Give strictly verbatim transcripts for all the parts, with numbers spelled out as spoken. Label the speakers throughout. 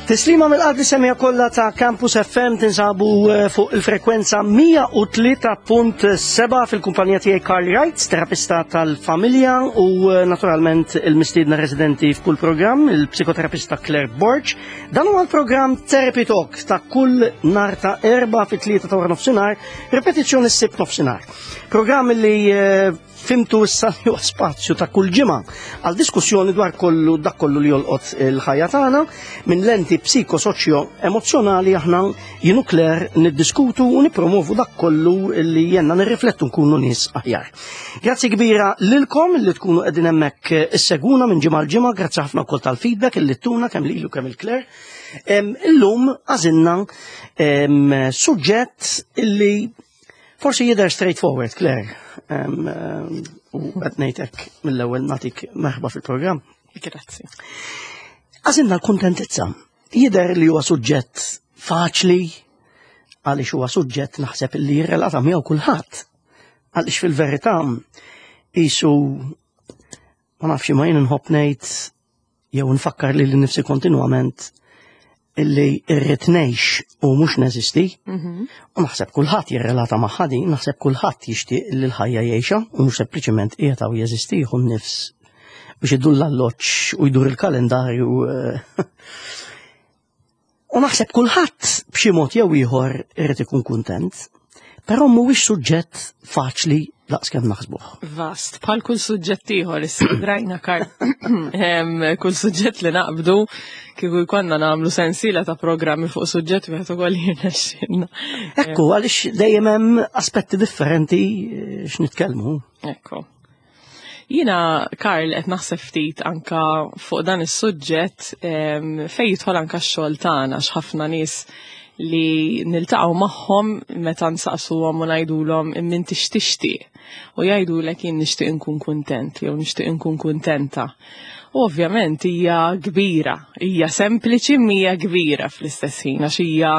Speaker 1: Tislima mill-qalb semmiegħa kollha ta' Campus F M. Tinsabu eh, fuq il-frekwenza mija u tlieta punt sebgħa fil-kumpanija tiegħi Carl Wright, terapista tal-familja, u eh, naturalment il-mistiedna residenti f'kull programm, il-psikoterapista Claire Borg. Dan huwa l-programm Therapy Talk ta' kull nhar ta' Erbgħa fit-tlieta ta' wara nofsinhar, ripetizzjoni s-Sibt nofsinhar. Programm li eh, fhimtu issa li huwa spazju ta' kull ġimgħa għal diskussjoni dwar kollu dak kollu li jolqot il-ħajja tagħna minn lenti psikosoċjo emozjonali. Aħna, jien u Claire, niddiskutu u nippromovu dak kollu li jgħinna nirriflettu, nkunu nies aħjar. Grazzi kbira lilkom li tkunu qegħdin hemmhekk issegwuna minn ġimgħa l ġimgħa, grazzi ħafna wkoll tal-feedback illi ttuna kemm lilu kemm lil Claire. Illum għażilna suġġett illi forsi jidher straightforward, Claire. U qed ngħidlek mill-ewwel, nagħtik merħba fil-programm.
Speaker 2: Grazzi.
Speaker 1: Għażilna l-kuntentizza. Jidher li huwa suġġett faċli, għaliex huwa suġġett naħseb li jirrelata miegħu kulħadd. Għaliex fil-verità qisu, ma nafx, ma jien nħobb ngħid jew nfakkar li nifsi kontinwament illi irrid ngħix u mhux neżisti.
Speaker 2: Mhm.
Speaker 1: U naħseb kulħadd jirrelata magħha din, naħseb kulħadd jixtieq li l-ħajja jgħixha u mhux sempliċement qiegħed hawn jeżisti, jieħu nifs biex idur l-alloġġ u jdur il-kalendarju. eh. U naħseb kulħadd b'xi mod jew ieħor irid ikun kuntent, però mhuwiex suġġett faċli daqs kemm naħsbuh.
Speaker 2: Vast, bħal kull suġġett ieħor issa drajna, Karl. Em, Kull suġġett li naqbdu, kieku jkollna nagħmlu sensiela ta' programmi fuq suġġett wieħed ukoll jirnexxilna.
Speaker 1: Ekku, għaliex dejjem hemm aspetti differenti eh, x'nitkellmu.
Speaker 2: Ekku. Jiena, Karl, qed naħseb ftit anka fuq dan is-suġġett em, fejn jidħol anka x-xogħol tagħna, x'ħafna nies li niltaqgħu magħhom, meta nsaqsuhom u ngħidulhom imma x'tixtieq, u jgħidulek jien nixtieq inkun kuntent jew nixtieq inkun kuntenta. U ovvjament hija kbira, hija sempliċi mija kbira fl-istess ħin, għax hija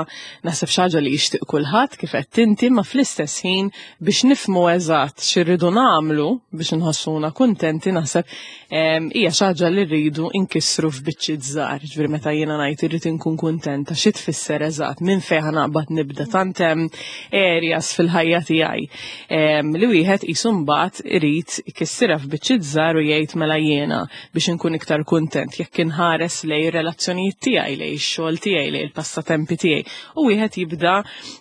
Speaker 2: naħseb xi ħaġa li jixtieq kulħadd, kif qed inti, ma fl-istess ħin biex nifhmu eżatt x'irridu nagħmlu biex nħossuna kuntenti, naħseb em, hija xi ħaġa li rridu nkissru f'biċċiet żgħar. Ġifieri meta jiena ngħid irrid inkun kuntenta, xi tfisser eżatt, minn fejn naqbad nibda, tant hemm areas fil-ħajja tiegħi em, li wieħed qisu mbagħad irid ikissirha f'biċċiet żgħar u jgħid mela jiena biex inkun iktar kuntent jekk inħares lejn ir-relazzjonijiet tiegħi, lejn ix-xogħol tiegħi, lejn il-passatempi tiegħi. U wieħed jibda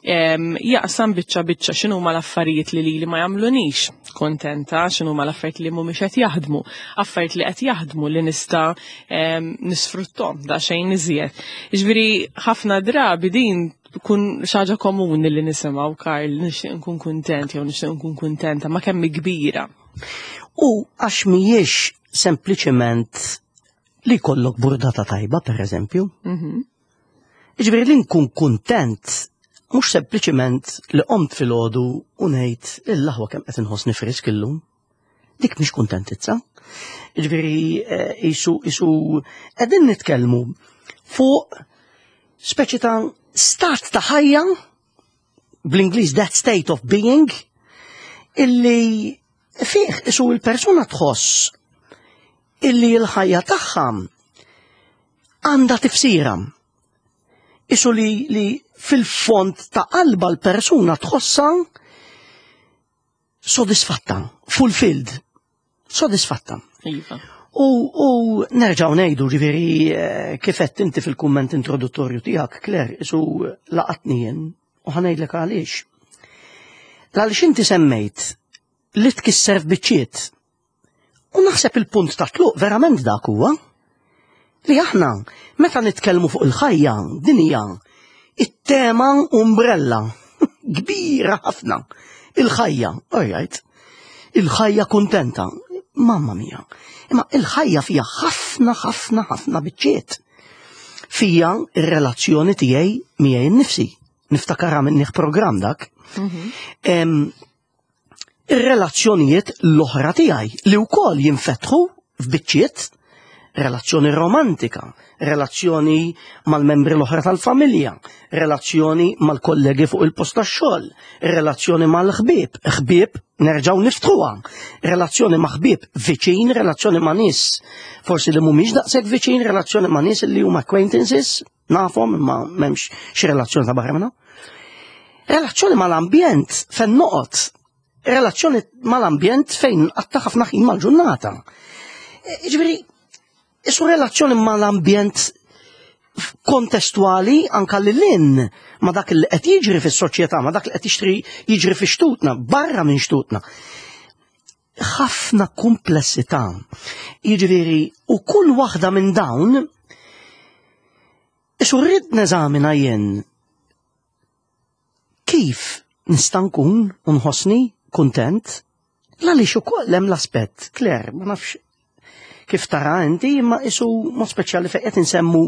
Speaker 2: em, jaqsam biċċa biċċa x'inhuma l-affarijiet li lili ma jagħmlunix kontenta, x'inhuma l-affarijiet li mhumiex qed jaħdmu, affarijiet li qed jaħdmu li nista' em, nisfruttom daqsxejn iżjed. Jiġifieri ħafna drabi din tkun xi ħaġa komuni li nisimgħu, Karl, nixtieq nkun kuntent jew nixtieq nkun kuntenta, ma kemm hi kbira.
Speaker 1: U għax mhijiex sempliċement li jkollok burdata tajba, per eżempju.
Speaker 2: Mhm.
Speaker 1: Ġifieri li nkun kuntent mhux sempliċement li qomt filgħodu u ngħid il-laħwa kemm qed inħossni frisk illum. Dik mhix kuntentizza. Ġifieri eh, qisu qisu qegħdin nitkellmu fuq speċi ta' stat ta' ħajja, bl-Ingliż that state of being, illi fih qisu il-persuna tħoss illi l-ħajja tagħha għandha tifsira. Qisu li, li fil-fond ta' qalba l-persuna tħossa sodisfatta, fulfilled, sodisfatta.
Speaker 2: Iva.
Speaker 1: U, u nerġaw ngħidu, ġifieri, eh, kif għedt inti fil-kumment introduttorju tiegħek, Claire, qisu laqatni jien, u ħa ngħidlek għaliex. Għaliex inti semmejt li tkisser f'biċċiet. U naħseb il-punt ta' tluq verament dak huwa li aħna meta nitkellmu fuq il-ħajja, din hija it-tema umbrella kbira ħafna. Il-ħajja, all right. Il-ħajja kuntenta. Mamma mia. Imma il-ħajja fija ħafna, ħafna, ħafna biċċiet. Fija ir-relazzjoni tiegħi miegħi nnifsi. Niftakar minnih programm dak. Em, Ir-relazzjonijiet l-oħra tiegħi li wkoll jinfetħu f'biċċiet. Relazzjoni romantika, relazzjoni mal-membri l-oħra tal-familja, relazzjoni mal-kollegi fuq il-post tax-xogħol, relazzjoni mal-ħbieb, ħbieb nerġgħu niftħuha, relazzjoni ma' ħbieb viċin, relazzjoni ma' nies forsi li mhumiex daqshekk viċin, relazzjoni ma' nies li huma acquaintances, nafhom imma m'hemmx xi relazzjoni ta' barra minnha. Relazzjoni mal-ambjent fejn noqgħod, relazzjoni mal-ambjent fejn nqatta' ħafna ħin mal-ġurnata. Ġifieri, isu relazzjoni mal-ambjent kontestwali anka li l-in ma dak li qed jiġri fis-soċjetà, ma dak li qed jiġri jiġri fi xtutna, barra minn xtutna. Ħafna komplessità. Jiġifieri, u kull waħda minn dawn isu rrid neżamina jien kif nista' nkun u nħossni kuntent għaliex ukoll hemm l-aspett, Claire, ma nafx kif tara inti, imma isu mod speċjali fejn qed insemmu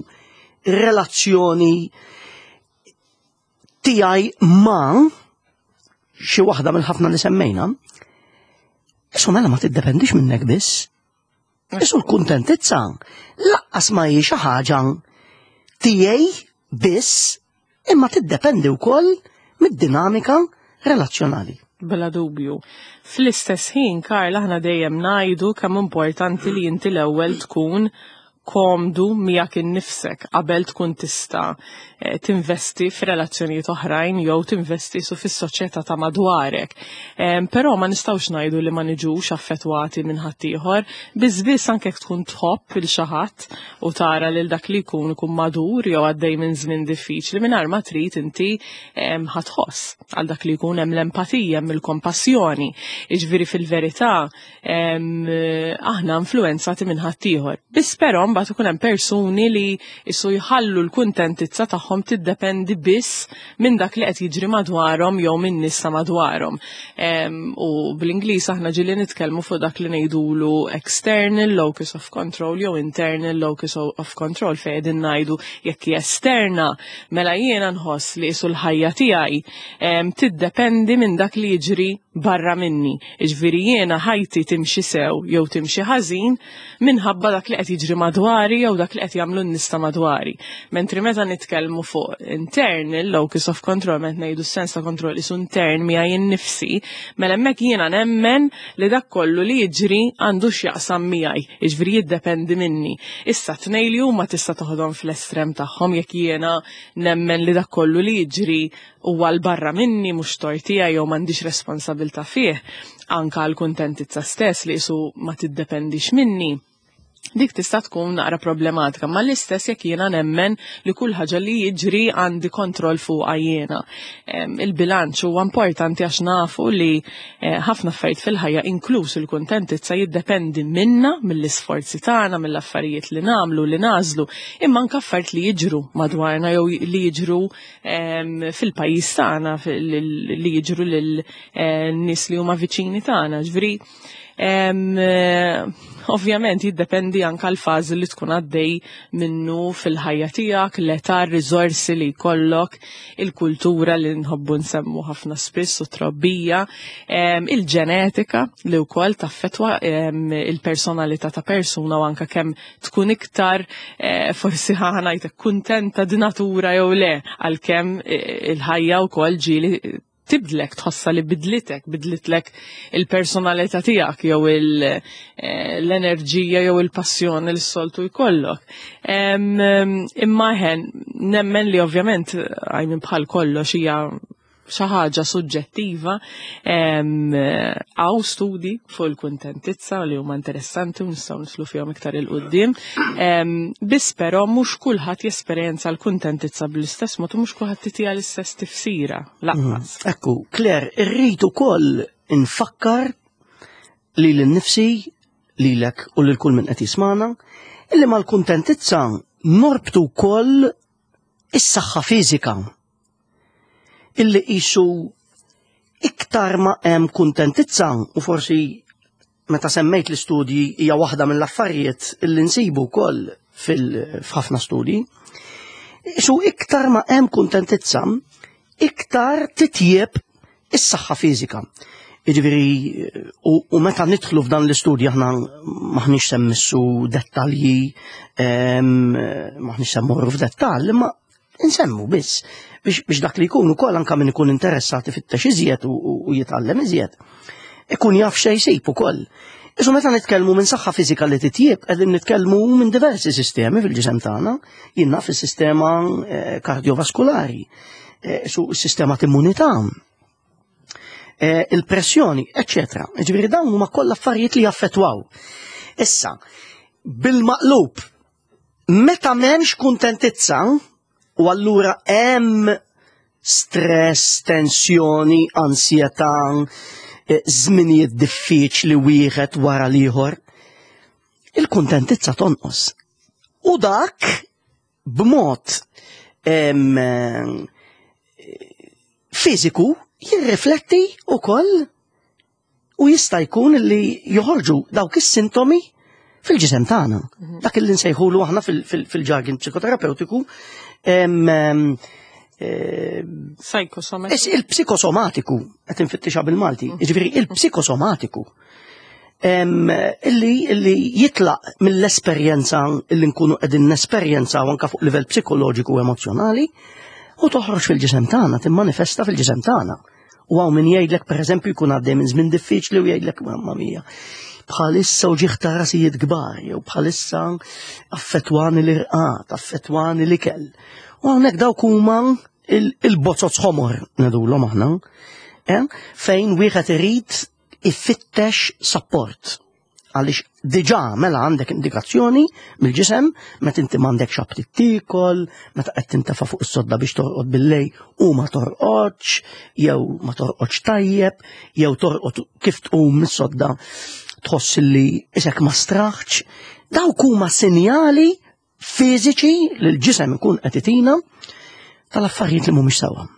Speaker 1: relazzjoni tiegħi ma' xi waħda mill-ħafna li semmejna. Isu mela ma tiddependix minnek biss. Isu l-kuntentizza lanqas ma hi xi ħaġa tiegħi biss, imma tiddependi wkoll mid-dinamika relazzjonali.
Speaker 2: Bla dubju. Fl-istess ħin, Karl, aħna dejjem ngħidu kemm importanti li inti l-ewwel tkun komdu miegħek innifsek qabel tkun tista' eh, tinvesti f'relazzjonijiet oħrajn jew tinvesti su fis-soċjetà ta' madwarek. Em, Però ma nistgħux ngħidu li ma niġux affettwati minn ħaddieħor, biss biss anke jekk tkun tħobb il xi ħadd u tara lil dak li jkun ikun madur jew għaddej minn żmien diffiċli mingħajr ma trid inti em, ħa tħoss għal dak li jkun, hemm l-empatija, hemm il-kompassjoni. Jiġifieri fil-verità em, aħna influenzati minn ħaddieħor. Biss però mbagħad ikun hemm persuni li isu jħallu l-kuntentizza tagħhom tiddependi biss minn dak li qed jiġri madwarhom jew minn nies ta' madwarhom. Em, U bl-Ingliż aħna ġieli nitkellmu fuq dak li ngħidulu external locus of control jew internal locus of control, fejn qegħdin ngħidu jekk hi esterna, mela jiena nħoss li isu l-ħajja tiegħi em, tiddependi minn dak li jiġri barra minni. Jiġifieri jiena ħajti timxi sew jew timxi ħażin minħabba dak li qed jiġri madwari jew dak li qed jagħmlu n-nies ta' madwari. Mentri meta nitkellmu fuq internal locus of control, meta ngħidu s-sens ta' kontroll isu intern miegħi innifsi, mela hemmhekk jiena nemmen li dak kollu li jiġri għandu x'jaqsam miegħi, jiġifieri jiddependi minni. Issa tnejn li huma tista' toħodhom fl-estrem tagħhom. Jekk jiena nemmen li dak kollu li jiġri huwa 'l barra minni, mhux tort tiegħi jew m'għandix responsabilità fih, anka l-kuntentizza stess li isu ma tiddependix minni, dik tista' tkun naqra problematika, ma l-istess jekk jiena nemmen li kull ħaġa li jiġri għandi kontroll fuqha jiena. Em, Il-bilanċ huwa importanti għax nafu li eh, ħafna affarijiet fil-ħajja, inkluż il-kuntentizza, jiddependi minna, mill-isforzi tagħna, mill-affarijiet li nagħmlu, li nagħżlu, imma anke affarijiet li jiġru madwarna jew li jiġru em, fil-pajjiż tagħna, fil- li jiġru lil eh, nies li huma viċini tagħna. Ġifieri, Em, eh, ovvjament jiddependi anka l-fażi li tkun għaddej minnu fil-ħajja tiegħek, l-età, r-riżorsi li jkollok, il-kultura li nħobbu nsemmu ħafna spiss u trobbija, em, il-ġenetika li wkoll taffetwa em, il-personalità ta' persuna u anka kemm tkun iktar eh, forsi ħa ngħidlek kuntenta di natura jew le, għalkemm eh, il-ħajja wkoll ġieli tibdlek, tħossa li bidlitek, bidlitlek il-personalità tiegħek jew il- eh, l-enerġija jew il-passjoni li s-soltu jkollok. Em, em, Imma ħen, nemmen li ovvjament għajmin bħal kollox hija xi ħaġa suġġettiva. Hawn studi fuq il-kuntentizza li huma interessanti u nistgħu nidħlu fihom iktar 'il quddiem. Biss però mhux kulħadd jesperjenza l-kuntentizza bl-istess mod u mhux kulħadd titiha l-istess tifsira lanqas.
Speaker 1: Ekku, Claire, irrid ukoll infakkar li l-nifsi, lilek u lil kull min qed jismana, illi mal-kuntentizza norbtu wkoll is-saħħa fiżika. Illi qisu iktar ma hemm kuntentizza, u forsi meta semmejt l-istudji hija waħda mill-affarijiet illi nsibu wkoll fil-ħafna studji, qisu iktar ma hemm kuntentizza, iktar titjieb is-saħħa fiżika. Jiġifieri, u, u meta nidħlu f'dan l-istudju aħna maħniex se mmissu dettalji, em, maħniex se mmorru f'dettall, imma nsemmu biss biex, biex dak li jkun ukoll anke min ikun interessat ifittex iżjed u, u, u jitgħallem iżjed. Ikun jaf xejn jsib ukoll. Isu meta nitkellmu minn saħħa fiżika li titjieb, qegħdin nitkellmu minn diversi sistemi fil-ġisem tagħna, jien naf is-sistema eh, kardiovaskulari, eh, su s-sistema t'immunità, eh, il-pressjoni, eccetera. Ġifieri dawn huma kollha affarijiet li jaffettwaw. Issa, bil-maqlub, meta m'hemmx kuntentizza, u allura hemm stress, tensjoni, ansjetà, eh, żminijiet diffiċli wieħed wara l-ieħor, il-kuntentizza tonqos. U dak b'mod em, eh, fiżiku jirrifletti ukoll u jista' jkun li joħorġu dawk is-sintomi fil-ġisem tagħna. Dak li nsejħulu aħna fil- fil- fil-jargon psikoterapeutiku em, em, eh,
Speaker 2: Psychosomatic.
Speaker 1: Is il-psikosomatiku, qed infittixha bil-Malti, jiġifieri il-psikosomatiku. Em, illi, illi jitlaq mill-esperjenza illi nkunu qegħdin nesperjenzaw anke fuq livell psikoloġiku u emozjonali u toħroġ fil-ġisem tagħna, timmanifesta fil-ġisem tagħna. U hawn min jgħidlek pereżempju jkun għaddej minn żmien diffiċli u jgħidlek mamma mia. Bħalissa uġigħ ta' rasijiet kbar, jew bħalissa affettwani l-irqad, affettwani l-ikel. U hawnhekk dawk huma il- il-bozoz ħomor ngħidulhom aħna, eh, fejn wieħed irid ifittex support. Għaliex diġà mela għandek indikazzjoni mill-ġisem meta inti m'għandekx aptit tiekol, meta qed tintefa' fuq is-sodda biex torqod billejl u ma torqodx, jew ma torqodx tajjeb, jew torqod kif tqum mis-sodda tħoss li isek ma straħx. Dawk huma sinjali fiżiċi li l-ġisem ikun qed itina tal-affarijiet li mhumiex sewwa.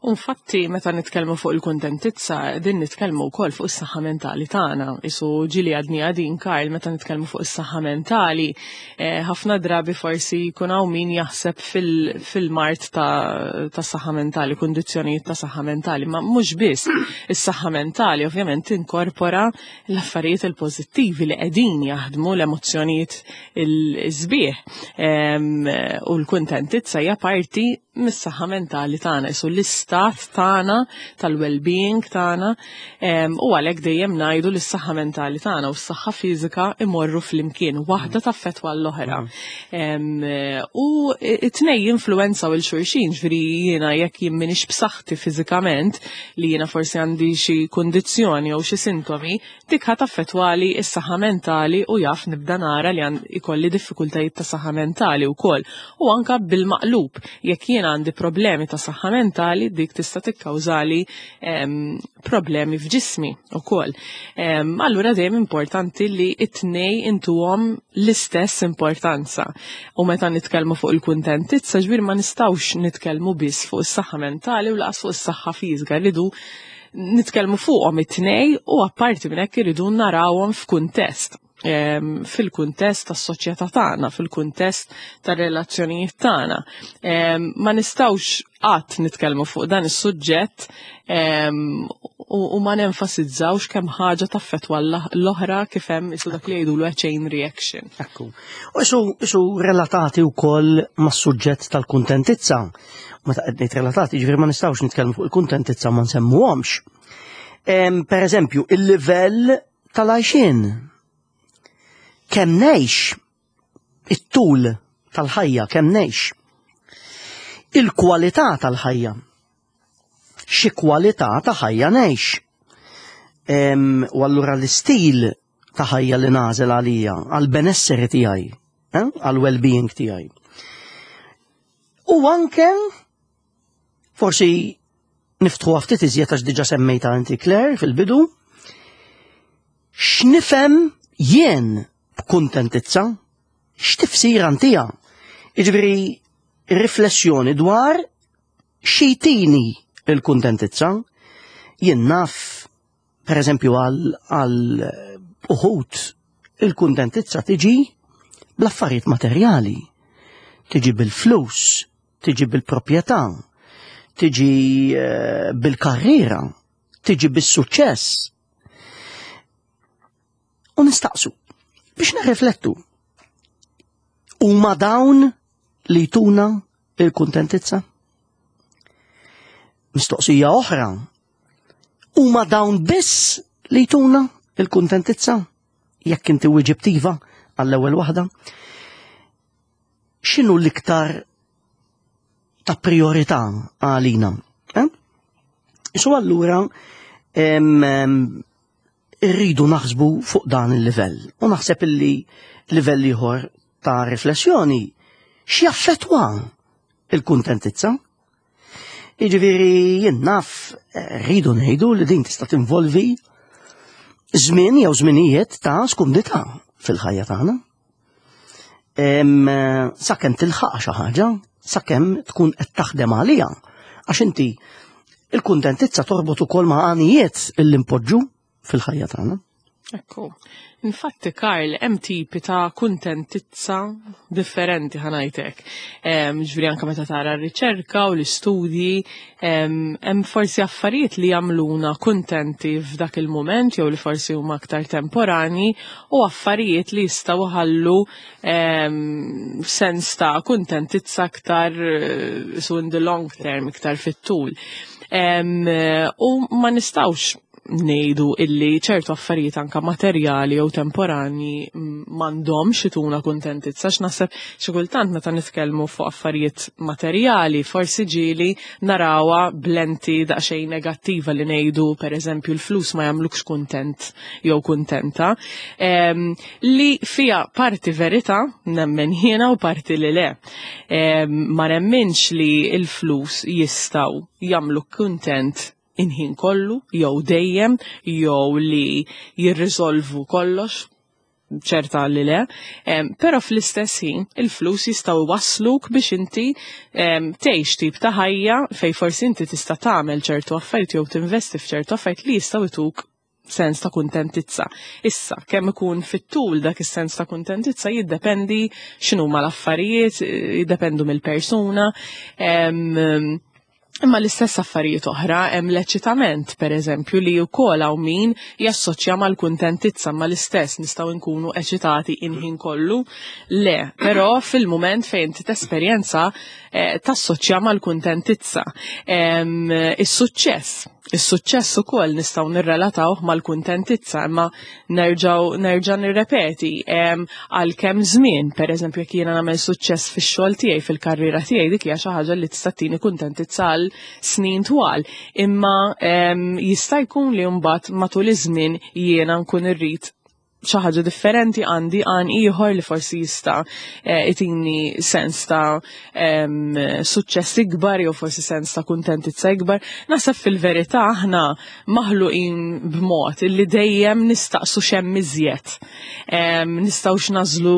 Speaker 2: Infatti, meta nitkellmu fuq il-kuntentizza, din nitkellmu wkoll fuq is-saħħa mentali tagħna. Isu ġili għadni għadin Karl, meta nitkellmu fuq is-saħħa mentali, eh, ħafna drabi forsi jkun hawn min jaħseb fil- fil-mard ta' ta' saħħa mentali, kundizzjonijiet ta' saħħa mentali, ma mhux biss is-saħħa mentali ovvjament tinkorpora l-affarijiet il-pożittivi li qegħdin jaħdmu l-emozzjonijiet il-sbieħ. Em, U l-kuntentizza hija parti mis-saħħa mentali tagħna, isu l-istat tagħna, tal-well-being tagħna, em, u għalhekk dejjem ngħidu li s-saħħa mentali tagħna u s-saħħa fiżika imorru flimkien, waħda taffettwa l-oħra. Em, U it-tnej jinfluwenzaw lil xulxin, ġifieri jiena jekk jien m'iniex b'saħħti fiżikament, li jiena forsi għandi xi kundizzjoni jew xi sintomi, dik ħa taffettwali s-saħħa mentali u jaf nibda nara li għan ikolli diffikultajiet ta' saħħa mentali wkoll. U anka bil-maqlub, jekk jiena għandi problemi ta' saħħa mentali, dik tista' tikkawżali em, problemi f'ġismi ukoll. Em, Allura dejjem importanti li it-tnej intuhom l-istess importanza. U meta nitkellmu fuq il-kuntentizza, ġifieri ma nistgħux nitkellmu biss fuq is-saħħa mentali u lanqas fuq is-saħħa fiżika, rridu nitkellmu fuqhom it-tnej u apparti minn hekk irridu narawhom f'kuntest. Em, fil-kuntest tas-soċjetà tagħna, fil-kuntest tar-relazzjonijiet tagħna. Em, Ma nistgħux qatt nitkellmu fuq dan is-suġġett em, u, u ma nenfasizzawx kemm ħaġa taffettwa l-oħra kif hemm isu dak li jgħidulu chain reaction.
Speaker 1: Ekku. U isu, isu relatati wkoll mas-suġġett tal-kuntentizza. Meta qed ngħid relatati, ġifieri ma nistgħux nitkellmu fuq il-kuntentizza ma nsemmuhomx. Em, Per eżempju, il-livell tal-għajxien. Kemm ngħix it-tul tal-ħajja, kemm ngħix. Il-kwalità tal-ħajja. Xi kwalità ta' ħajja ngħix. Em, U allura l-istil ta' ħajja li nagħżel għalija, għal-benesseri tiegħi, eh? għal-well-being tiegħi. U anke forsi niftħu ftit iżjed għax diġà semmejta inti Claire fil-bidu, x'nifhem jien b'kuntentizza, x'tifsira ntiha. Jiġifieri riflessjoni dwar x'jtini il-kuntentizza, jien naf per eżempju għal għal uħud il-kuntentizza tiġi bl-affarijiet materjali, tiġi bil-flus, tiġi bil-proprjetà, tiġi eh, bil-karriera, Tiġi bis-suċċess. U nistaqsu biex nirriflettu. Huma dawn li jtuna il-kuntentizza? Mistoqsija oħra. Huma dawn biss li jtuna il-kuntentizza? Jekk inti weġibt iva għall-ewwel waħda. X'inhu l-iktar ta' priorità għalina? Eh? So allura irridu naħsbu fuq dan il-livell. U naħseb illi livell ieħor ta' riflessjoni x'jaffettwa il-kuntentizza. Jiġifieri jien naf rridu ngħidu li din tista' tinvolvi żmien jew żminijiet ta' skumdità fil-ħajja tagħna. Sakemm tilħaq xi ħaġa, sakemm tkun qed taħdem għaliha. Għax inti il-kuntentizza torbot ukoll ma' għanijiet illi npoġġu fil-ħajja tagħna.
Speaker 2: Ekku. Infatti, Karl, hemm tipi ta' kuntentizza differenti, ħa ngħidlek. Ġifieri anke meta tara r-riċerka u l-istudji, hemm forsi affarijiet li jagħmluna kuntenti f'dak il-mument jew li forsi huma aktar temporani u affarijiet li jistgħu ħallu sens ta' kuntentizza aktar eh, so in the long term, iktar fit-tul. U ma nistgħux ngħidu illi ċertu affarijiet anka materjali jew temporani m'għandhomx ituna kuntentizza, għax naħseb xi kultant meta nitkellmu fuq affarijiet materjali forsi ġieli narawha b'lenti daqsxejn negattiva li ngħidu, pereżempju, l-flus ma jagħmlukx kuntent jew kuntenta, li fija parti verità nemmen jiena u parti li le. Ma nemminx li l-flus jistgħu jagħmlu kuntent il-ħin kollu, jew dejjem, jew li jirriżolvu kollox, ċerta li le, però fl-istess ħin il-flus jistgħu wasluk biex inti tgħix tip ta' ħajja fej forsi inti tista' tagħmel ċertu affarijiet jew tinvesti f'ċertu affarijiet li jistgħu jtuk sens ta' kuntentizza. Issa, kemm ikun fit-tul dak is-sens ta' kuntentizza jiddependi x'inhuma l-affarijiet, jiddependu mill-persuna. Imma l-istess affarijiet oħra hemm l-eċitament, pereżempju, li wkoll hawn min jassoċja mal-kuntentizza, ma l-istess nistgħu nkunu eċitati il-ħin kollu. Le, però fil-mument fejn inti tesperjenza eh, tassoċja mal-kuntentizza. Is-suċċess Is-suċċess ukoll nistgħu nirrelatawh mal-kuntentizza, imma nerġgħu nerġa' nirrepeti għal kemm żmien, pereżempju, jekk jiena nagħmel suċċess fix-xogħol tiegħi, fil-karriera tiegħi, dik hija xi ħaġa li tista' tini kuntentizza għal snin twal. Imma jista' jkun li mbagħad matul iż-żmien jiena nkun irrid xi ħaġa differenti, għandi għan ieħor li forsi jista' eh, itini sens ta' suċċess ikbar jew forsi sens ta' kuntentizza ikbar. Naħseb fil-verità aħna maħluqin b'mod illi dejjem nistaqsu x'hemm iżjed. Nistgħux nażlu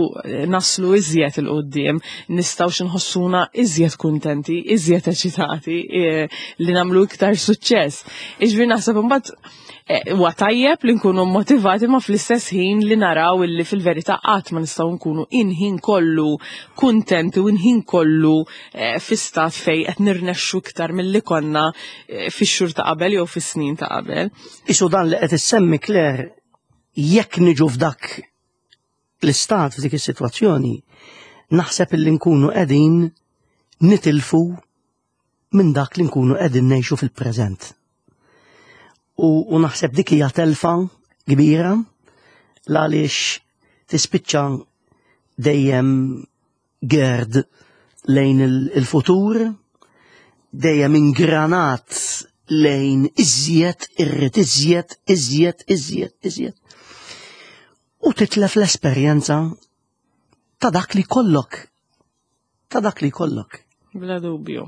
Speaker 2: naslu iżjed 'il quddiem, nistgħux nħossuna iżjed kuntenti, iżjed eċitati, eh, li nagħmlu iktar suċċess. Iġifieri naħseb imbagħad eh, huwa tajjeb li nkunu motivati, ma fl-istess ħin li naraw illi fil-verità qatt ma nistgħu nkunu il-ħin kollu kuntenti u il-ħin kollu eh, fi stat fej qed nirnexxu iktar milli konna eh, fix-xhur ta' qabel jew fis-snin ta' qabel.
Speaker 1: Isu dan li qed issemmi, Claire, jekk niġu f'dak l-istat, f'dik is-sitwazzjoni, naħseb illi nkunu qegħdin nitilfu minn dak li nkunu qegħdin ngħixu fil-preżent. U, u naħseb dik hija telfa kbira għaliex tispiċċa dejjem gerd lejn il-futur, dejjem ingranat lejn iżjed, irrid iżjed, iżjed, iżjed, iżjed. U titlef l-esperjenza ta' dak li kollok. Ta' dak li kollok.
Speaker 2: Bla dubju.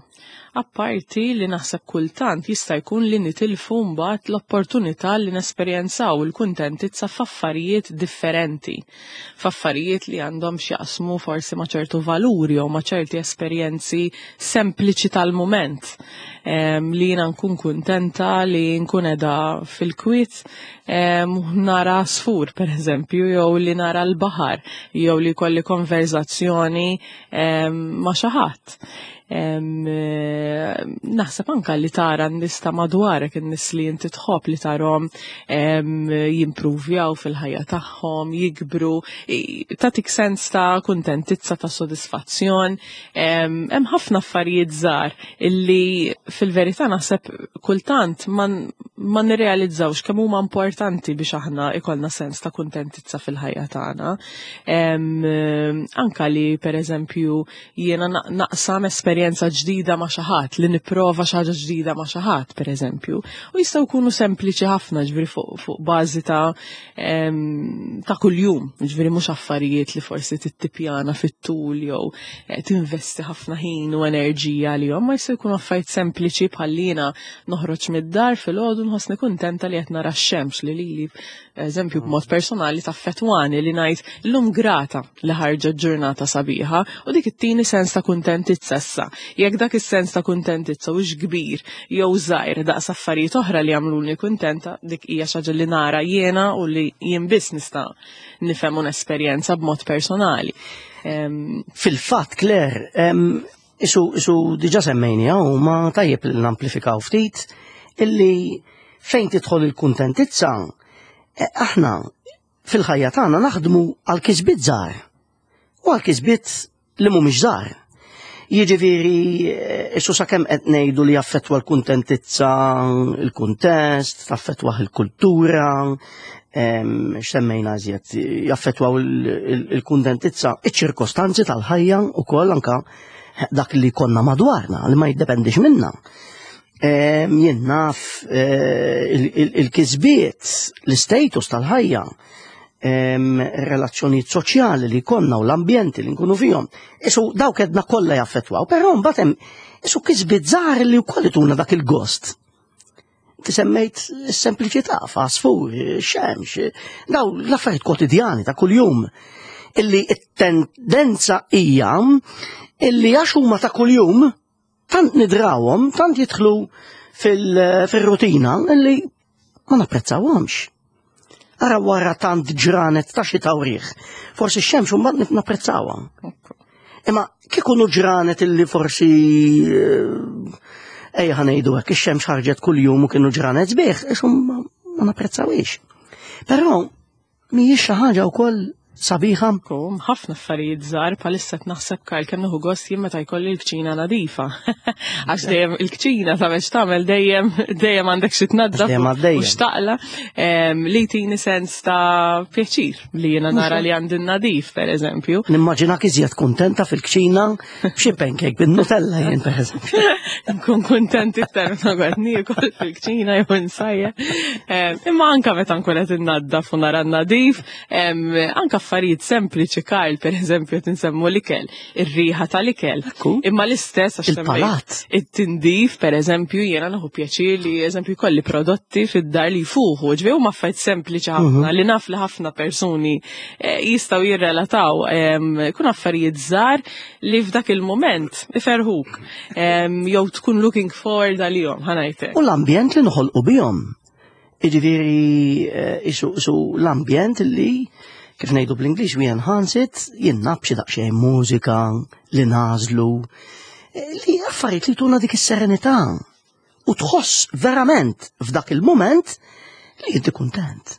Speaker 2: Apparti li naħseb kultant jista' jkun li nitilfu mbagħad l-opportunità li nesperjenzaw il-kuntentizza f'affarijiet differenti. F'affarijiet li għandhom x'jaqsmu forsi ma' ċertu valuri jew ma' ċerti esperjenzi sempliċi tal-mument. Em, li jiena nkun kuntenta li nkun qiegħda fil-kwiet em, nara għasfur, per eżempju, jew li nara l-baħar, jew li kolli konverzazzjoni em, ma' xi ħadd. Naħseb anka li tara n-nies ta' madwarek, in-nies li inti tħobb li tarhom jimpruvjaw fil-ħajja tagħhom, jikbru, tagħtik sens ta' kuntentizza, ta' sodisfazzjon. Hemm ħafna affarijiet żgħar illi fil-verità naħseb kultant ma ma nirrealizzawx kemm huma importanti biex aħna ikollna sens ta' kuntentizza fil-ħajja tagħna. Anka li pereżempju jiena naqsam esperjenza ġdida ma' xi ħadd, li nipprova xi ħaġa ġdida ma' xi ħadd pereżempju. U jistgħu jkunu sempliċi ħafna, ġifieri fuq fu bażi ta' ta' kuljum, ġifieri mhux affarijiet li forsi tittipjana fit-tul jew eh, tinvesti ħafna ħin u enerġija għalihom, ma jistgħu jkunu affarijiet sempliċi bħal jiena noħroġ mid-dar filgħodu nħossni kuntenta li qed nara x-xemx li lili eżempju b'mod personali taffettwani li ngħid illum grata li ħarġet ġurnata sabiħa u dik ittini sens ta' kuntentizza issa. Jekk dak is-sens ta' kuntentizza hux kbir jew żgħir daqs affarijiet oħra li jagħmluni kuntenta, dik hija xi ħaġa li nara jiena u li jien biss nista' nifhem un esperjenza b'mod personali.
Speaker 1: Fil-fatt, Claire, isu, isu diġà semmejni u ma tajjeb li namplifikaw ftit illi fejn tidħol il-kuntentizza, eh, aħna fil-ħajja tagħna naħdmu għal kisbiet żgħar u għal kisbiet li mhumiex żgħar. Jiġifieri eh, isu sakemm qed ngħidu li jaffettwa l-kuntentizza, il-kuntest, taffettwa il-kultura, x'semmejna iżjed, jaffettwaw il-kuntentizza, iċ-ċirkostanzi tal-ħajja u koll anka dak li konna madwarna, li ma jiddependix minna. Jien naf eh, il-kisbiet, l-status tal-ħajja, relazzjonijiet soċjali li konna u l-ambjenti li nkunu fihom. Isu dawk edna kollha jaffettwaw, però mbagħad hemm isu kisbiet żgħar li wkoll ituna dak il-gost. Ti semmejt sempliċità, fasfur, xemx, daw l-affarijiet kwotidjani ta' kuljum. Illi it-tendenza hija illi għax huma ta' kuljum tant nidrawhom, tant jidħlu fil-rutina illi ma napprezzawhomx. Ara wara tant ġranet ta' xita u riħ, forsi x-xemx mbagħad napprezzawha. Imma kikunu ġranet illi forsi eh, ejja ħa ngħidu hekk ix-xemx ħarġet kuljum u kienu ġranet sbieħ, ixum ma napprezzawhiex. Però mhijiex xi ħaġa wkoll sabiħa.
Speaker 2: Kum, ħafna affarijiet żgħar bħalissa qed naħseb Karl kemm nieħu gost jien meta jkolli l-kċina nadifa. Għax dejjem il-kċina ta' biex tagħmel dejjem dejjem għandek xi tnaddaf u xtaqla li tini sens ta' pjaċir li jiena nara li għandi nadif pereżempju.
Speaker 1: Nimmaġinak iżjed kuntenta fil-kċina b'xi pancake bin-Nutella jien pereżempju.
Speaker 2: Nkun kuntent iktar meta qed niekol fil-kċina jew insajja. Imma anka meta nkun qed innaddaf u nara nadif, anka affarijiet sempliċi Karl, per eżempju, tinsemmu l-ikel, ir-riħa tal-ikel. Imma l-istess
Speaker 1: għax il-palat.
Speaker 2: It-tindif, per eżempju, jiena nieħu pjaċir li eżempju jkolli prodotti fid-dar li jfuħu, ġifieri huma affarijiet sempliċi ħafna mhm. li naf li ħafna persuni eh, jistgħu jirrelataw. Kun affarijiet żgħar li f'dak il-moment iferħuk. Jew tkun looking forward għalihom, ħa ngħidlek.
Speaker 1: U l-ambjent li noħolqu bihom. Jiġifieri eh, isu l-ambjent li kif ngħidu bl-Ingliż we enhance it, jien naf xi daqsxejn mużika li nażlu, eh, li affarijiet li tuna dik is-serenità. U tħoss verament f'dak il-moment li inti kuntent.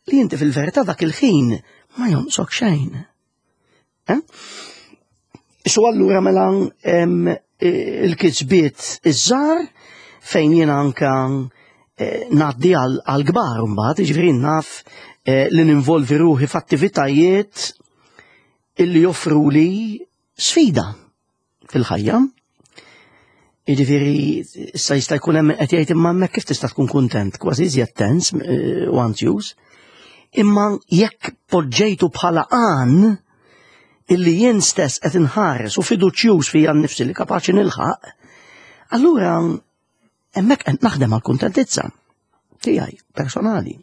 Speaker 1: Li inti fil-verità dak il-ħin ma jonqsok xejn. Eh? Isu allura mela il-kisbiet iż-żgħar fejn jiena anka eh, ngħaddi għal-kbar mbagħad, jiġifieri naf eh, li ninvolvi ruħi f'attivitajiet illi joffru li sfida fil-ħajja. Jiġifieri issa jista' jkun hemm qed jgħid imma hemmhekk kif tista' tkun kuntent, kważi iżjed tens eh, u anzjuż. Imma jekk poġġejtu bħala għan illi jien stess qed inħares u fiduċjuż fija nnifsi li kapaċi nilħaq, allura hemmhekk qed naħdem għal kuntentizza tiegħi personali.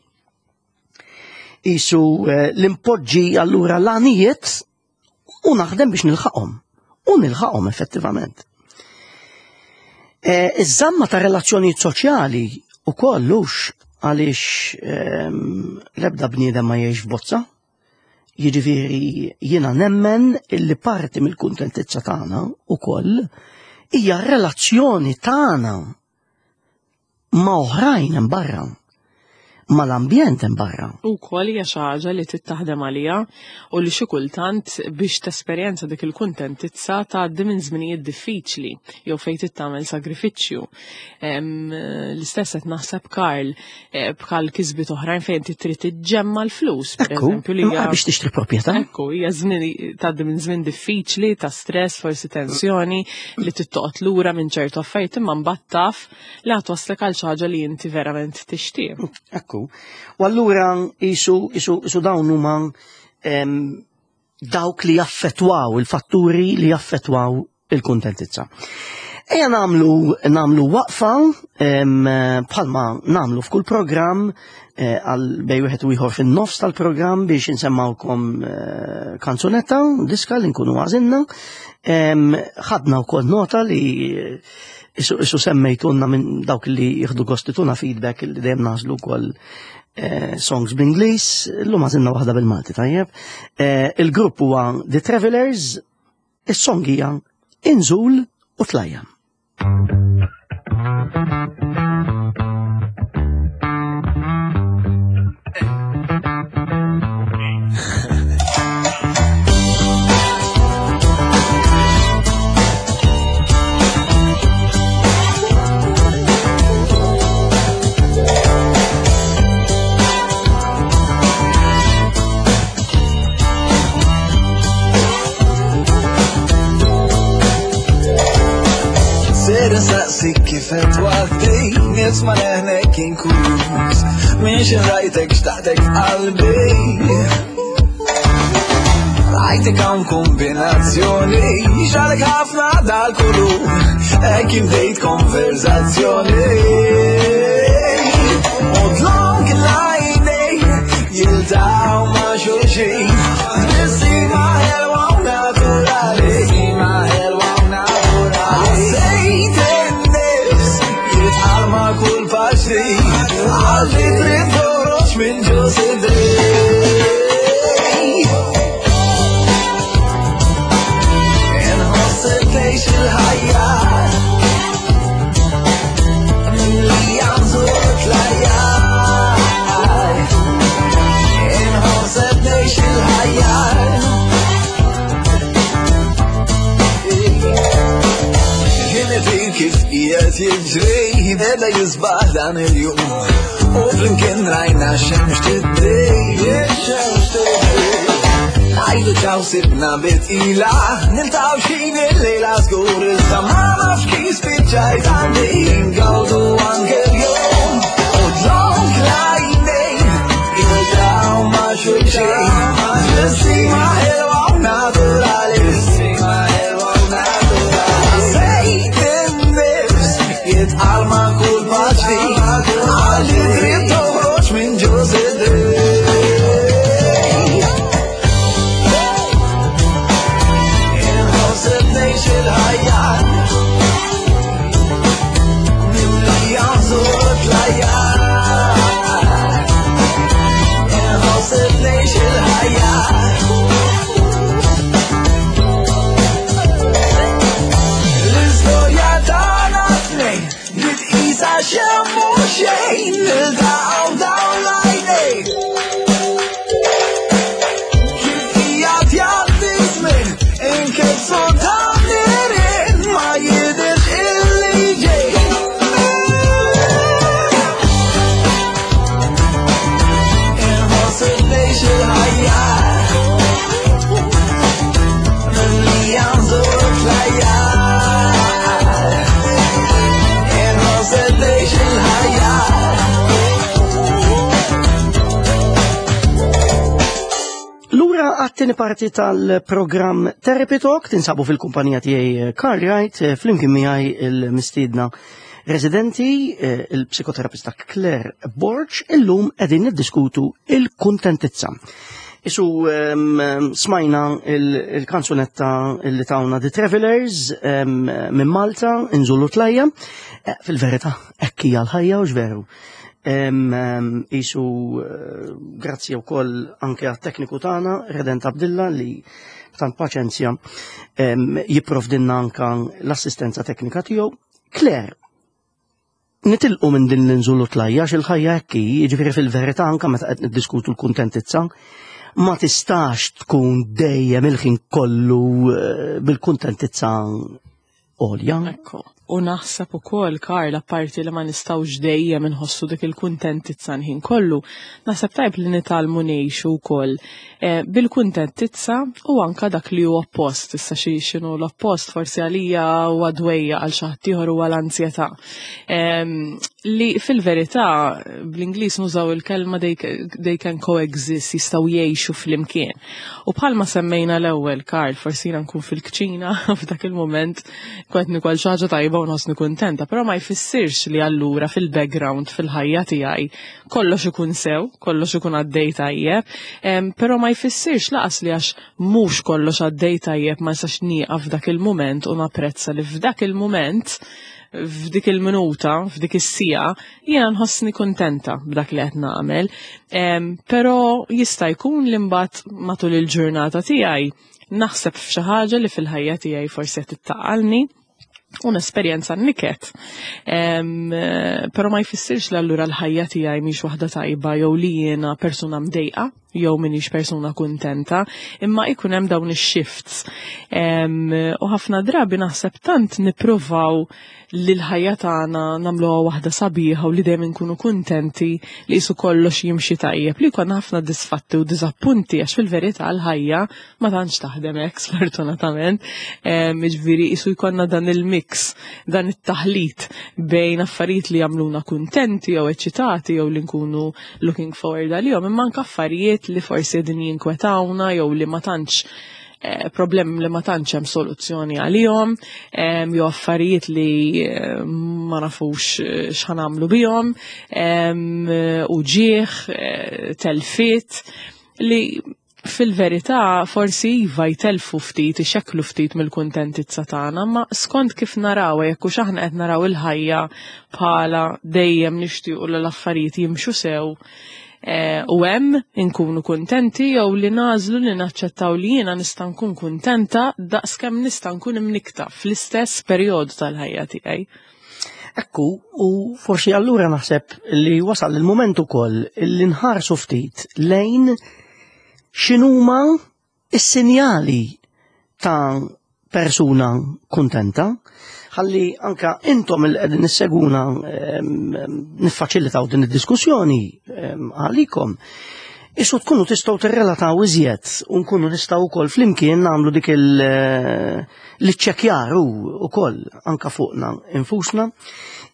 Speaker 1: Isu eh, l-impoġġi allura l-għanijiet u naħdem biex nilħaqhom. U nilħaqhom effettivament. Eh, iż-żamma ta' relazzjonijiet soċjali u kollux għaliex ehm, l-ebda bniedem ma jgħix f'bozza. Jiġifieri jiena nemmen illi parti mill-kuntentizza tagħna ukoll hija r-relazzjoni tagħna ma' oħrajn hemm barra, mal-ambjent hemm barra.
Speaker 2: U kol hija xi ħaġa li tittaħdem għaliha u li xi kultant biex tesperjenza dik il-kuntentizza tgħaddi minn żminijiet diffiċli jew fejn tagħmel sagrifiċċju. L-istess qed naħseb Karl eh, bħal kisbiet oħrajn fejn trid tiġġemma l-flus,
Speaker 1: pereżempju li hija biex tixtri proprjetà.
Speaker 2: Ekku, hija żmien tgħaddi minn żmien diffiċli ta' stress, forsi tensjoni li tittoqgħod lura minn ċertu affarijiet imma mbagħad taf li ħa twasslek għal xi ħaġa li inti verament tixtieq.
Speaker 1: Ekku. U allura isu, isu, isu dawn huma dawk li jaffettwaw, il-fatturi li jaffettwaw il-kuntentizza. Ejja namlu, namlu waqfa bħalma namlu f'kull programm eh, għal bej wieħed u ieħor fin-nofs tal-programm biex insemmawkom eh, kanzunetta, diska li nkunu għażilna. Ħadna wkoll nota li isu, isu semmejtunna minn dawk li jieħdu gost tuna feedback li dejjem nażlu wkoll eh, songs bl-Ingliż, illum għażilna waħda bil-Malti, tajjeb. Eh, il-grupp huwa The Travelers, is-song hija Inżul u Tlajja.
Speaker 3: Saqsik kif qed waħdi, nisma' leħnek inkluż, miex rajtek xtaqtek f'qalbi. Rajtek hawn kombinazzjoni, xalek ħafna dal-kulur, hekk bdejt konverzazzjoni. U dlonk l-għajnejn jiltaqgħu ma' xulxin, tbissima ħelwa u naturali. Tbissima ħelwa u naturali. Ħassejt in-nifs jitqal ma' kull paċi, għalli trid toħroġ minn ġo sidri. Inħoss tgħix il-ħajja, mimlija nżur tlajja. Inħoss tgħix il-ħajja. Kif qiegħed jiġri, beda jisbaħ dan il-jum, u flimkien rajna xemx tiddi, xemx tiddi. Għajdu ċaw sibna bitqila, niltaqgħu x'ħin il-lejla żgur, iżda ma nafx kif spiċċajt għandi, ngawdu anke l-jum, u dlonk l-għajnejn jiltaqgħu ma' xulxin, tbissima ħelwa u naturali, tbissima ħelwa u naturali. Ħassejt in-nifs jitqal ma' kull paċi, għalli trid toħroġ minn ġo sidri. Inħoss tgħix il-ħajja, mimlija nżur tlajja. Inħoss tgħix il-ħajja. L-istorja tagħna tnejn li tqisha xemm u xejn, niltaqgħu dawn l-għajnejn. Kif qiegħed jgħaddi żmien, inkissu dan nirien, ma jidhirx illi ġej. Inħoss tgħix il-ħajja, mimlija nżur tlajja. Inħoss tgħix il-ħajja.
Speaker 1: Lura għat-tieni parti tal-programm Therapy Talk, tinsabu fil-kumpanija tiegħi Karl Wright, flimkien miegħi il-mistiedna residenti, eh, il-psikoterapista Claire Borg, illum qegħdin niddiskutu il-kuntentizza. Isu, em, smajna il-, il-kanzunetta li tawna The Travelers, em, minn Malta, Inżulu Tlajja. Eh, fil-verità, hekk hija l-ħajja u x'veru. Isu eh, grazzi wkoll anke għat-tekniku tagħna Redent Abdilla li tant paċenzja jipprovdinna anka l-assistenza teknika tiegħu. Claire, nitilqu minn din l-inżulu tlajja il-ħajja hekk hi, jiġifieri fil-verità anka meta qed niddiskutu l-kuntentizza, ma tistax tkun dejjem il-ħin kollu eh, bil-kuntentizza għolja.
Speaker 2: Ekku. U naħseb ukoll, Karl, apparti li ma nistgħux dejjem inħossu dik il-kuntentizza nħin kollu, naħseb tajb li nitgħallmu ngħixu wkoll eh, bil-kuntentizza u anka dak li huwa oppost. Issa xi x'inhu l-oppost forsi għalija huwa dwejja, għal xi ħadd ieħor huwa l-ansjetà. Li fil-verità bl-Ingliż nużaw il-kelma they, they can coexist, jistgħu jgħixu flimkien. U bħalma semmejna l-ewwel, Karl, forsi jiena nkun fil-kċina f'dak il-moment kont nikol xi ħaġa tajba u nħossni kuntenta, però ma jfissirx li allura fil-background fil-ħajja tiegħi kollox ikun sew, kollox ikun għaddej tajjeb, però ma jfissirx lanqas li għax mhux kollox għaddej tajjeb ma nistax nieqaf f'dak il-moment u napprezza li f'dak il-moment, f'dik il-minuta, f'dik is-sija, jiena nħossni kuntenta b'dak li qed nagħmel. Però jista' jkun li mbagħad matul il-ġurnata tiegħi naħseb f'xi ħaġa li fil-ħajja tiegħi forsi qed ittaqalni u nesperjenza niket. Però ma jfissirx li allura l-ħajja tiegħi mhix waħda tajba jew li jiena persuna mdejqa jew m'iniex persuna kuntenta, imma ikun hemm dawn ix-shifts. U ħafna drabi naħseb tant nippruvaw li l-ħajja tagħna nagħmluha waħda sabiħa u li dejjem inkunu kuntenti, li qisu kollox jimxi tajjeb, li jkollna ħafna disfatti u diżappunti, għax fil-verità l-ħajja ma tantx taħdem hekk, sfortunatament. Jiġifieri qisu jkollna dan il-mix, dan it-taħlit bejn affarijiet li jagħmluna kuntenti jew eċitati jew li nkunu looking forward għalihom, imma anke affarijiet li forsi qegħdin jinkwetawna jew li ma tantx eh, problemi li ma tantx hemm soluzzjoni għalihom, jew affarijiet li eh, ma nafux eh, x'ħanamlu bihom, u ġieħ, telfiet li fil-verità forsi iva jtelfu ftit, ixekklu ftit mill-kuntentizza tagħna, ma skont kif naraw, jekk hux aħna qed naraw il-ħajja bħala dejjem nixtiequ li l-affarijiet jimxu sew u hemm inkunu kuntenti, jew li nagħżlu li naċċettaw li jiena nista' nkun kuntenta daqskemm nista' nkun imnikta fl-istess perjodu tal-ħajja tiegħi.
Speaker 1: Ekku, u forsi allura naħseb li wasal il-moment ukoll li nħarsu ftit lejn x'inhuma is-sinjali ta' persuna kuntenta, ħalli anka intom il qegħdin nisseguna niffaċilitaw din id-diskussjoni għalikom. Isu tkunu tistgħu tirrelataw iżjed u nkunu nistgħu wkoll flimkien nagħmlu dik l-iċċekkjar ukoll anka fuqna infusna.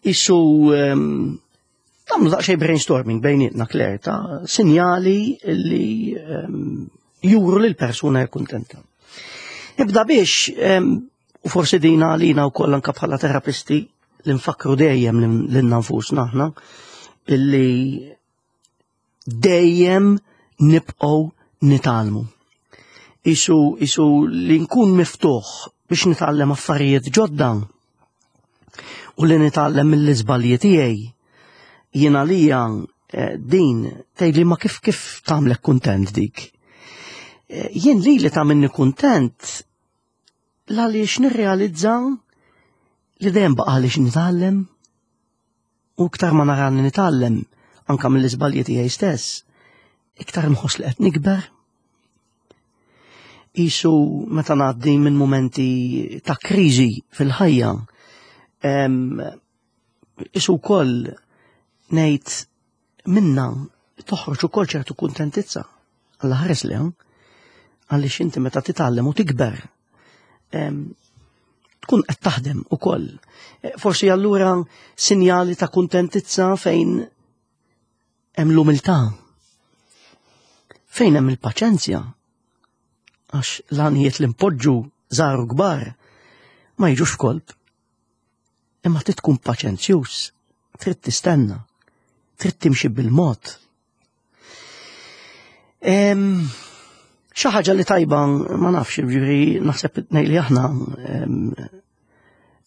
Speaker 1: Isu nagħmlu daqsxejn brainstorming bejnietna, Claire, ta' sinjali li juru li l-persuna hija kuntenta. Nibda biex, u forsi dina għalina wkoll anka bħala terapisti li nfakru dejjem lilna nfusna aħna, illi dejjem nibqgħu nitgħallmu. Isu, isu li nkun miftuħ biex nitgħallem affarijiet ġodda u li nitgħallem mill-iżbalji tiegħi. Jiena lija eh, din tgħidli ma kif kif tagħmlek kuntent dik. Eh, jien li li tagħmilni kuntent għaliex nirrealizza li dejjem baqa' għaliex nitgħallem, u iktar ma narani nitgħallem anka mill-iżbalji tiegħi stess, iktar nħoss li qed nikber. Isu meta ngħaddi minn momenti ta' kriżi fil-ħajja, isu wkoll ngħid minna toħroġ ukoll ċertu kuntentizza. Alla ħares li, għaliex inti meta titgħallem u tikber, tkun qed taħdem ukoll. E, forsi allura sinjali ta' kuntentizza fejn hemm l-umiltà, fejn hemm il-paċenzja, għax l-għanijiet li npoġġu żgħar u kbar ma jiġux f'kolp. Imma trid tkun paċenzjuż, trid tistenna, trid timxi bil-mod. Xi ħaġa li tajba, ma nafx, ġifieri naħseb ngħid li aħna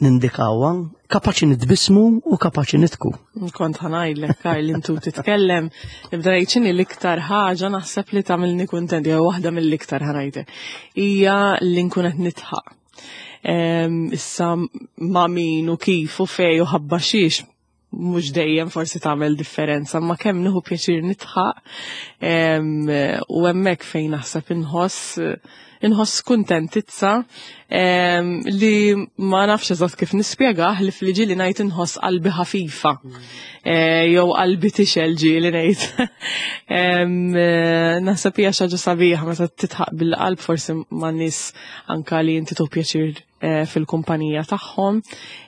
Speaker 1: Nindikawha, kapaċi nitbismu u kapaċi nidħku.
Speaker 2: Kont ħa ngħidlek, Karl, intu titkellem, nibda ngħid x'inhi l-iktar ħaġa naħseb li tagħmilni kuntent, jew waħda mill-iktar, ħa ngħidlek, hija li nkun qed nidħaq. Issa ma' min u kif u fej u ħabba xiex mhux dejjem forsi tagħmel differenza, ma kemm nieħu pjaċir nidħaq u hemmhekk fejn naħseb inħoss inħoss kuntentizza li ma nafx eżatt kif nispjegah, li fil-ġieli ngħid inħoss qalbi ħafifa eh, jew qalbi tixgħel, ġieli ngħid. Naħseb hija xi ħaġa sabiħa meta tidħaq bil-qalb, forsi ma' nies anka li inti tieħu pjaċir eh, fil-kumpanija tagħhom.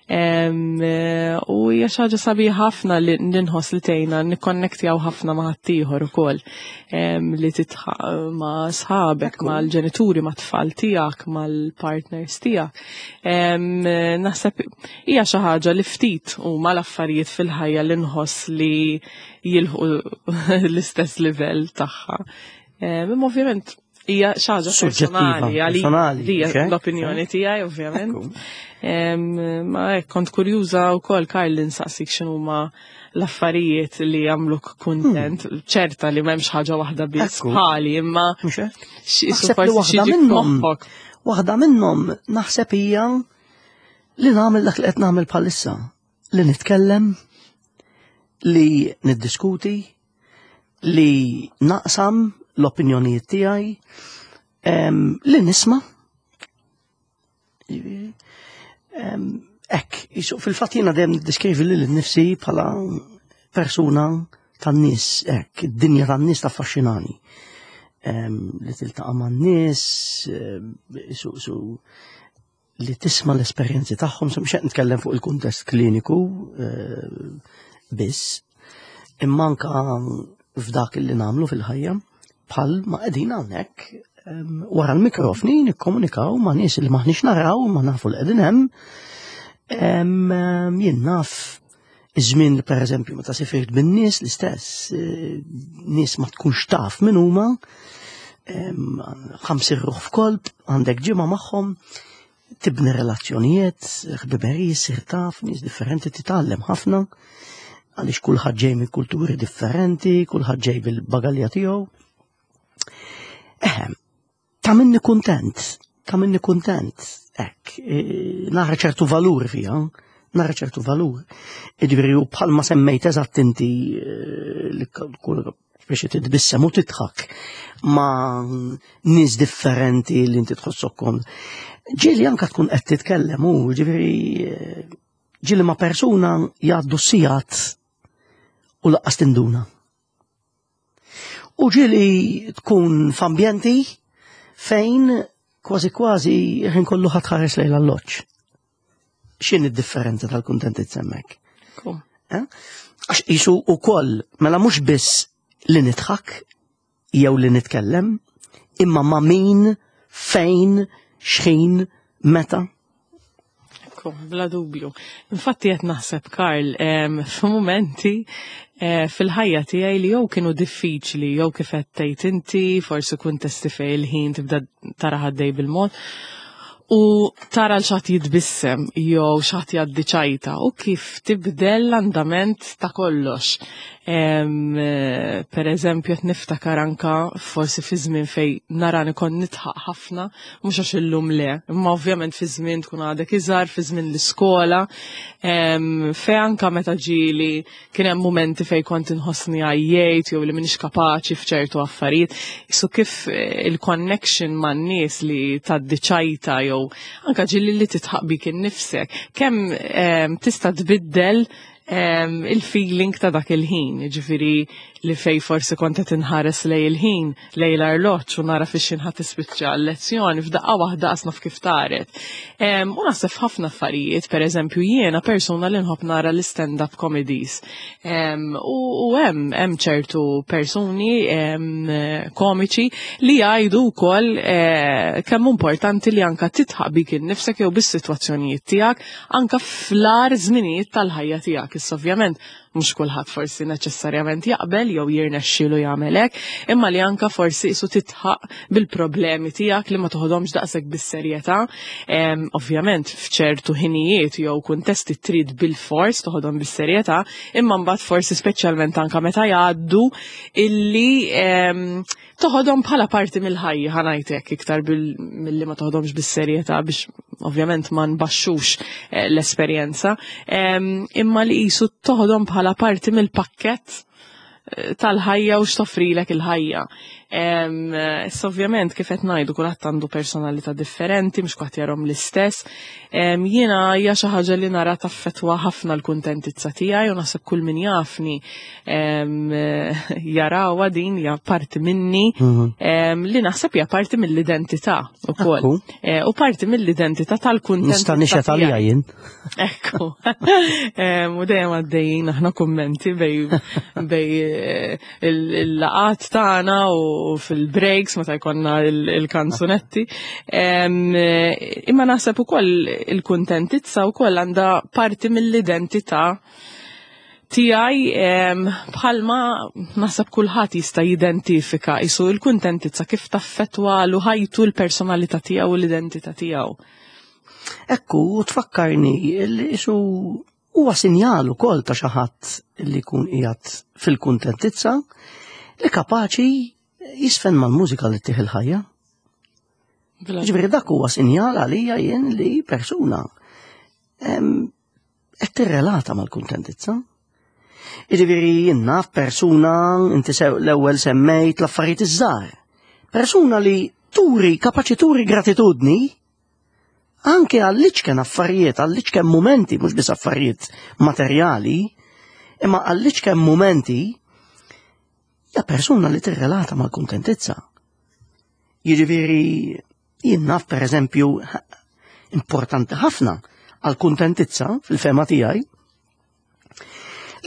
Speaker 2: Eh, u hija xi ħaġa sabiħa ħafna li nħoss li tgħinna nikkonnektjaw ħafna ma' ħaddieħor ukoll, li tidħaq ma' sħabek, mal-ġenituri, ma' tfal tiegħek, mal-partners tiegħek. Naħseb hija xi ħaġa li ftit huma l-affarijiet fil-ħajja li nħoss li jilħqu l-istess livell tagħha. Imma ovvjament hija xi ħaġa personali,
Speaker 1: personali,
Speaker 2: l-opinjoni tiegħi, ovvjament. Ma hekk kont kurjuża wkoll, Karl, insaqsik x'inhuma l-affarijiet li jagħmluk kuntent. Hmm. ċerta li m'hemmx ħaġa waħda biss bħali, imma
Speaker 1: forsi waħda minnhom. Waħda minnhom naħseb hija li nagħmel dak li qed nagħmel bħalissa, li nitkellem, li niddiskuti, li naqsam l-opinjonijiet tiegħi, li nisma'. Ek, fil-fatt jiena dejjem niddeskrivi lili nnifsi bħala persuna tan-nies, ek, id-dinja tan-nies taffaxxinani. Li tiltaqa' man-nies, su li tisma' l-esperjenzi tagħhom, mhux qed nitkellem fuq il-kuntest kliniku biss, imma anka f'dak li nagħmlu fil-ħajja, bħal ma qegħdin hawnhekk wara l-mikrofni nikkomunikaw ma' nies li maħniex naraw, ma nafu li qegħdin hemm. Jien naf iż-żmien li, pereżempju, meta sifirt bin-nies l-istess, eh, nies ma tkunx taf min huma, ħamsin ruħ f'kolb, għandek ġimgħa magħhom, tibni relazzjonijiet, ħbiberiji, sir taf nies differenti, titgħallem ħafna, għaliex kulħadd ġej minn kulturi differenti, kulħadd ġej bil-bagalja tiegħu. Eħem, tagħmilni kuntent, tagħmilni kuntent, ek, e, nara ċertu valur fija, nara ċertu valur. Ġifieri, u bħalma semmejt eżatt inti e, li kull biex titbissem u tidħak ma' nies differenti li inti tħossok. Ġieli anka tkun qed titkellem u ġifieri e, ġieli ma' persuna jgħaddu sigħat u lanqas tinduna. U ġieli tkun f'ambjenti fejn kważi kważi ħin kollu ħa tħares lejn l-alloġġ. X'inhi d-differenza tal-kuntentizza hemmhekk? Eh? Għax jisu u koll, mela mhux biss li nidħak jew li nitkellem, imma ma' min, fejn, xħin, meta.
Speaker 2: Ekku, bla dubju. Infatti qed naħseb, Karl, f'mumenti eh, fil-ħajja tiegħi li jew kienu diffiċli jew kif qed tgħid inti, forsi kuntesti fejn il-ħin tibda tara ħaddej bil-mod u tara l xi ħadd jitbissem jew xi ħadd jgħaddi ċajta u kif tibdel l-andament ta' kollox. Em, eh, per eżempju, qed niftakar anka forsi fi żmien fej narani kont nidħaq ħafna, mhux għax illum le, imma ovvjament fi żmien tkun għadek iżgħar, fi żmien l-iskola, em, fej anka meta ġieli kien hemm momenti fej kont inħossni għajjejt jew li m'iniex kapaċi f'ċertu affarijiet. So kif eh, il-connection man-nies li tgħaddi ċajta jew anka ġieli li tidħaq bik innifsek, kemm em, tista' tbiddel em, il-feeling ta' dak il-ħin, ġifieri li fej forsi kont qed inħares lej il-ħin, lej l-arloġġ u nara fix ħa tispiċċa l-lezzjoni, f'daqqa waħda qas naf kif taret. Em, U naħseb ħafna affarijiet, per eżempju jiena persuna li nħobb nara l-stand-up comedies. Em, U u hemm hemm ċertu persuni em, komiċi li jgħidu wkoll eh, kemm importanti li anka tidħaq bik innifsek jew bis-sitwazzjonijiet tiegħek anka fl-agħar żminijiet tal-ħajja tiegħek. Issa ovvjament Mhux kulħadd forsi neċessarjament jaqbel jew jirnexxielu jagħmel hekk, imma li anka forsi isu titħaq bil-problemi tiegħek, li ma toħodhomx daqshekk bis-serjetà. Em, Ovvjament f'ċertu ħinijiet jew kuntesti trid bil-fors toħodhom bis-serjetà, imma mbagħad forsi speċjalment anka meta jgħaddu illi em, toħodhom bħala parti mill-ħajja, ħa ngħidlek, iktar bil- milli ma toħodhomx bis-serjetà, biex ovvjament ma nbaxxux eh, l-esperjenza, Em, imma li qisu toħodhom bħala parti mill-pakkett eh, tal-ħajja u x'toffrilek il-ħajja. Em, Issa ovvjament, kif qed ngħidu, kulħadd għandu personalità differenti, mhux kulħadd jarahom l-istess. Em, Jiena hija xi ħaġa li nara taffetwa ħafna l-kuntentizza tiegħi u naħseb kull min jafni em, jarawha din, hija parti minni em, li naħseb hija parti mill-identità ukoll.
Speaker 1: Ekku.
Speaker 2: Eh, U parti mill-identità tal-kuntentizza
Speaker 1: Nista' nixhed għalija
Speaker 2: tiegħi.
Speaker 1: jien.
Speaker 2: Ekku. Em, U dejjem għaddejjin aħna kummenti bejn bejn eh, il- il-laqgħat tagħna u fil-breaks meta jkollna il- il-kanzunetti. Em, eh, Imma naħseb ukoll il-kuntentizza wkoll għandha parti mill-identità tiegħi, em, bħalma naħseb kulħadd jista' jidentifika isu il-kuntentizza kif taffetwa lu ħajtu, l-personalità tiegħu u l-identità tiegħu.
Speaker 1: Ekku, u tfakkarni li isu huwa sinjal ukoll ta' xi ħadd li jkun qiegħed fil-kuntentizza li kapaċi jiżfen mal-mużika li ttih il-ħajja.
Speaker 2: Bla-
Speaker 1: Ġifieri dak huwa sinjal għalija jien li persuna em, qed tirrelata mal-kuntentizza. Jiġifieri jien naf persuna, inti sew- l-ewwel semmejt l-affarijiet iż-żgħar. Persuna li turi, kapaċi turi gratitudni anke għall-iċken affarijiet, għall-iċken momenti, mhux biss affarijiet materjali, imma għall-iċken momenti, hija persuna li tirrelata mal-kuntentizza. Jiġifieri jien naf, per eżempju, importanti ħafna għal-kuntentizza fil-fehma tiegħi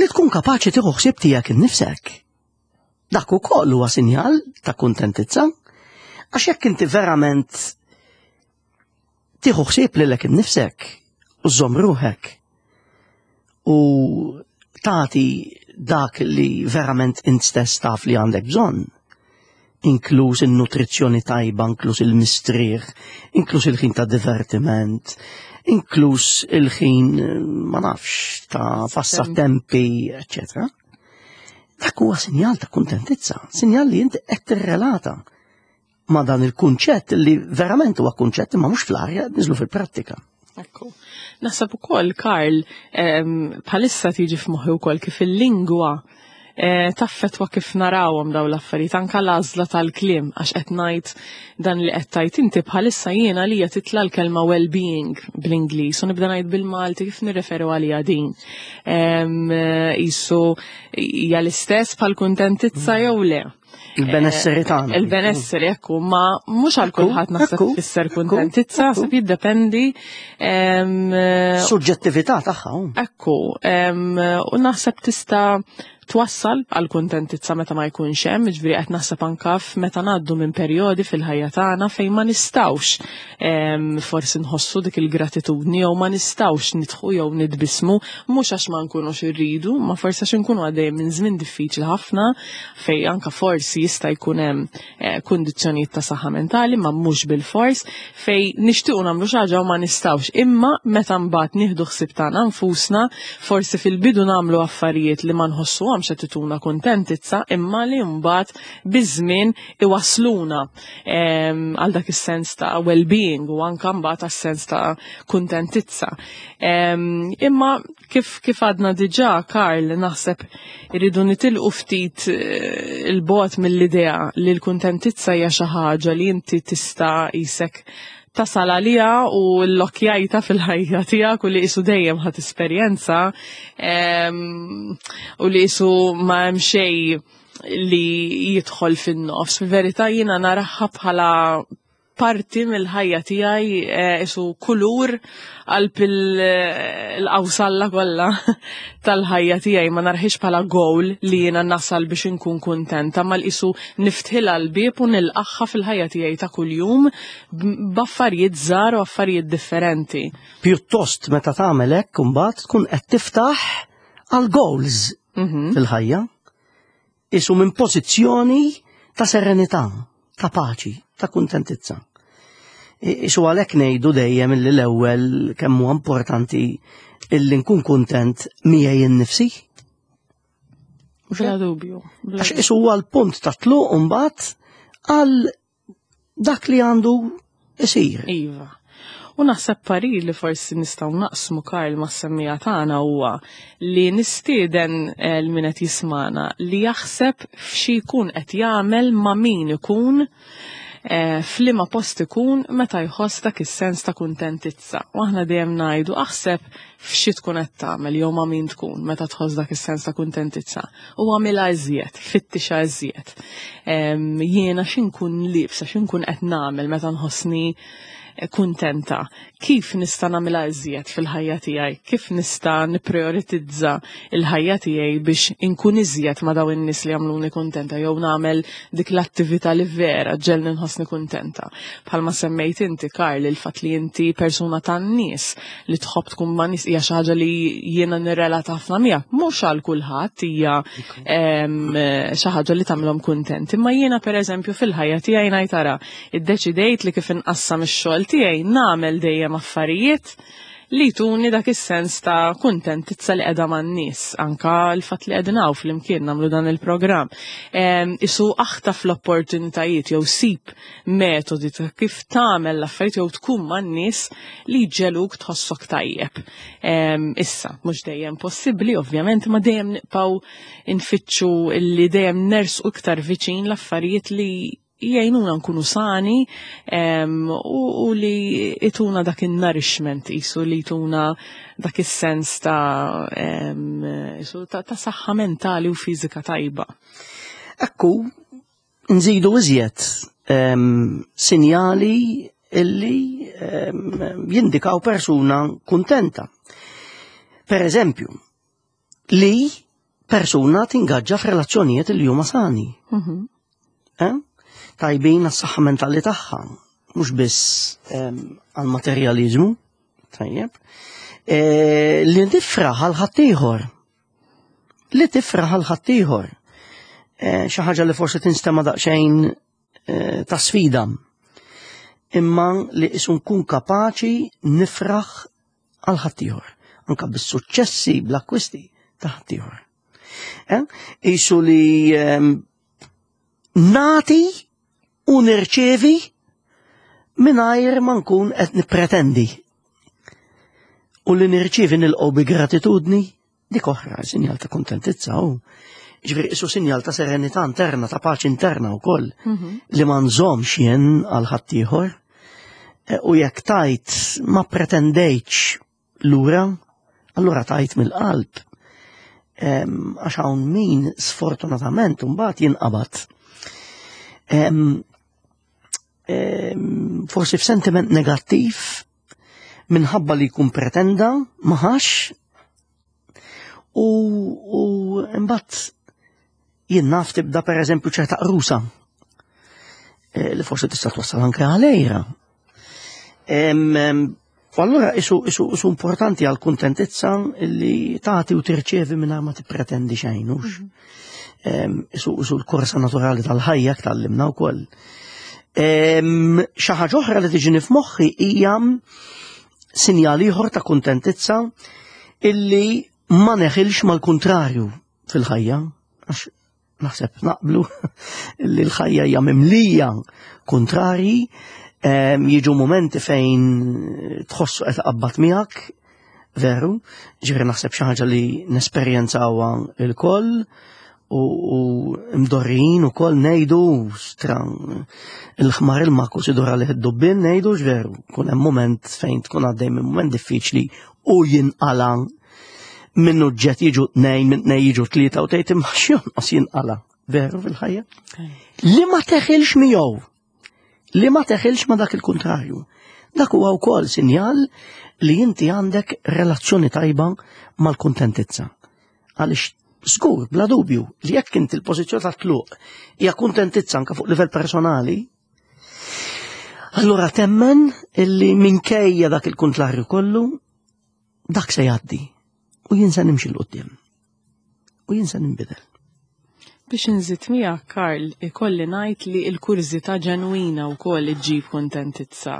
Speaker 1: li tkun kapaċi tieħu ħsieb tiegħek innifsek. Dak ukoll huwa sinjal ta' kuntentizza, għax jekk inti verament tieħu ħsieb lilek innifsek u żżomm ruħek u tagħti dak li verament int stess taf li għandek bżonn, inkluż il-nutrizzjoni tajba, inkluż il-mistrieħ, inkluż il-ħin ta' divertiment, inkluż il-ħin, ma nafx, ta' passatempi, eccetera. Dak huwa sinjal ta' kuntentizza, sinjal li inti qed tirrelata ma' dan il-kunċett li verament huwa kunċett imma mhux fl-arja, niżlu fil-prattika.
Speaker 2: Ekku. Naħseb ukoll, Karl, em, bħalissa tiġi f'moħħi wkoll kif il-lingwa eh, taffetwa kif narawhom daw l-affarijiet, anka l-għażla tal-kliem, għax qed ngħid dan li qed tajt inti bħalissa, jiena li titla l-kelma well-being bl-Ingliż u nibda ngħid bil-Malti kif nirreferu għalija din. Em, eh, Isu hija l-istess bħal kuntentizza jew le?
Speaker 1: Il-benesseri tagħna.
Speaker 2: Il-benesseri, ekku, ma mhux għal
Speaker 1: Ekku,
Speaker 2: kulħadd naħseb
Speaker 1: ekku,
Speaker 2: tfisser
Speaker 1: ekku,
Speaker 2: kuntentizza,
Speaker 1: ekku.
Speaker 2: naħseb jiddependi. em,
Speaker 1: Suġġettività tagħha. hu.
Speaker 2: Ekku, em, u naħseb tista' twassal għal kuntentizza meta ma jkunx hemm, ġifieri qed naħseb anka meta ngħaddu minn perjodi fil-ħajja tagħna fejn ma nistgħux em, forsi nħossu dik il-gratitudni jew ma nistgħux nidħku jew nitbismu, mhux għax ma nkunux irridu, ma forsi għax inkunu għaddejjem minn żmien diffiċli ħafna fejn anka forsi jista' jkun hemm eh, kundizzjonijiet ta' saħħa mentali, ma mhux bil-fors, fejn nixtiequ nagħmlu xi ħaġa u ma nistgħux. Imma meta mbagħad nieħdu ħsieb tagħna nfusna, forsi fil-bidu nagħmlu affarijiet li ma nħossuhomx qed ituna kuntentizza, imma li mbagħad biż-żmien iwasluna em, għal dak is-sens ta' well-being u anka mbagħad għas-sens ta' kuntentizza. Em, Imma kif kif għadna diġà, Karl, naħseb irridu nitilqu ftit eh, il-bogħod mill-idea li l-kuntentizza hija xi ħaġa li inti tista' isek tasal għalija u l-lokjajta fil-ħajja tiegħek u li isu dejjem ħat esperjenza em, u li isu ma hemm xejn li jidħol fin-nofs. Fil-verità jiena naraha bħala parti mill-ħajja tiegħi, eh, isu kulur qalb il-qawsalla kollha tal-ħajja tiegħi. Ma narahiex bħala goal li jiena nasal biex inkun kuntenta, ma l-isu niftħilha l-bieb u nilqagħha fil-ħajja tiegħi ta' kuljum b'affarijiet żgħar u affarijiet differenti.
Speaker 1: Pjuttost meta tagħmel hekk, imbagħad tkun qed tiftaħ għal goals
Speaker 2: Mhm.
Speaker 1: fil-ħajja, isu minn pożizzjoni ta' serenità, ta' paċi, ta' kuntentizza. I- Isu għalhekk ngħidu dejjem illi l-ewwel kemm huwa importanti illi nkun kuntent miegħi innifsi.
Speaker 2: Bla dubju. Bla
Speaker 1: Għax isu huwa l-punt ta' tluq mbagħad għal dak li għandu isir.
Speaker 2: Iva. U naħseb parir li forsi nistgħu naqsmu, Karl, mas-semmiegħa tagħna huwa li nistieden eh, l min qed jismana li jaħseb f'xi jkun qed jagħmel, ma' min ikun, eh, f'liema post ikun meta jħoss dak is-sens ta' kuntentizza. U aħna dejjem ngħidu aħseb f'xi tkun qed tagħmel jew ma' min tkun meta tħoss dak is-sens ta' kuntentizza. U għamilha iżjed, fittixha iżjed. Em, Jiena x'inkun liebsa, x'inkun qed nagħmel meta nħossni kuntenta? Kif nista' nagħmilha iżjed fil-ħajja tiegħi? Kif nista' nipprioritizza il-ħajja tiegħi biex inkun iżjed ma' dawn in-nies li jagħmluni kuntenta jew nagħmel dik l-attività li vera ġġegħelni nħossni kuntenta? Bħalma semmejt inti, Karl, il-fatt li inti persuna tan-nies, li tħobb tkun ma' nies, hija xi ħaġa li jiena nirrelata ħafna miegħek. Mhux għal kulħadd hija em, xi ħaġa li tagħmilhom kuntent. Imma jiena, pereżempju, fil-ħajja tiegħi ngħid ara, iddeċidejt li kif inqassam ix-xogħol tiegħi nagħmel dejjem affarijiet li tuni dak is-sens ta' kuntentizza li qiegħda man-nies, anka l-fatt li qegħdin hawn flimkien nagħmlu dan il-programm. Em, Isu aħtaf l-opportunitajiet jew sib metodi ta' kif tagħmel l-affarijiet jew tkun man-nies li jġegħluk tħossok tajjeb. Em, Issa, mhux dejjem possibbli, ovvjament, ma dejjem nibqgħu nfittxu li dejjem nersqu iktar viċin l-affarijiet li jgħinuna nkunu sani em, u, u li jtuna dak il-nourishment, jisu li jtuna dak is-sens ta' em, jisu ta', ta' saħħa mentali u fiżika tajba.
Speaker 1: Ekku, nżidu iżjed em, sinjali illi em, jindikaw persuna kuntenta. Per eżempju, li persuna tingaġġa f'relazzjonijiet li huma sani.
Speaker 2: Mhm.
Speaker 1: Eh? Tajbin għas-saħħa mentali tagħha, mhux biss em, għal-materjalizmu, tajjeb. E, li tifraħ għal ħaddieħor. Li tifraħ għal ħaddieħor. E, xi ħaġa li forsi tinstema' daqsxejn e, ta' sfida. Imma li isu nkun kapaċi nifraħ għal ħaddieħor. Anka bis-suċċessi, bl-akkwisti ta' ħaddieħor. Eh? Isu li em, nati u nirċevi mingħajr ma nkun qed nippretendi. U li nirċevi nilqgħu bi gratitudni, dik oħra, sinjal ta' kontentizza u. Ġifieri isu sinjal ta' serenità interna, ta' paċi interna wkoll, li ma nżommx jien għal ħaddieħor. E, U jekk tajt ma pretendejtx lura, allura tajt mill-qalb. Em, Għax hawn min sfortunatament mbagħad jinqabad. Em, em, Forsi f'sentiment negattiv minħabba li jkun pretenda ma ħax u, u mbagħad jien naf tibda, per eżempju, ċerta qrusa eh, li forsi tista' twassal anke għal għira. Em, em, U allura isu, isu, isu importanti għal kuntentizza li tagħti u tirċevi mingħajr ma tippretendi xejn, hux. Em, Isu, isu l-korsa naturali tal-ħajja tgħallimna wkoll. Em, Xi ħaġa oħra li tiġini f'moħħi hija sinjal ieħor ta' kuntentizza illi ma neħilx mal-kontrarju fil-ħajja, għax naħseb naqblu li l-ħajja hija mimlija kontrarji, em, jiġu momenti fejn tħossu qed qabbat miegħek, veru, ġifieri naħseb xi ħaġa li nesperjenzawha il-koll u, u mdorrijin ukoll ngħidu stra il-ħmar il-maku sidura li id-dubbien ngħidu, veru, kun hemm moment fejn tkun għaddej minn moment diffiċli u jinqala minn uġġet jiġu tnejn, minn tnejn jiġu tlieta u tgħid imma x'jonqos jinqala. Veru fil-ħajja? Li ma teħilx miegħu. Li ma teħilx ma dak il-kontrarju. Dak huwa wkoll sinjal li inti għandek relazzjoni tajba mal-kuntentizza. Għaliex żgur, bla dubju, li jekk inti l-pożizzjoni ta' tluq hija kuntentizza anke fuq livell personali, allura temmen illi minkejja dak il-kontrarju kollu, dak se jgħaddi u jien se nimxi 'l quddiem. U jien se ninbidel.
Speaker 2: Biex nżid miegħek, Karl, ikolli ngħid li l-kurżità ġenwina wkoll iġġib kuntentizza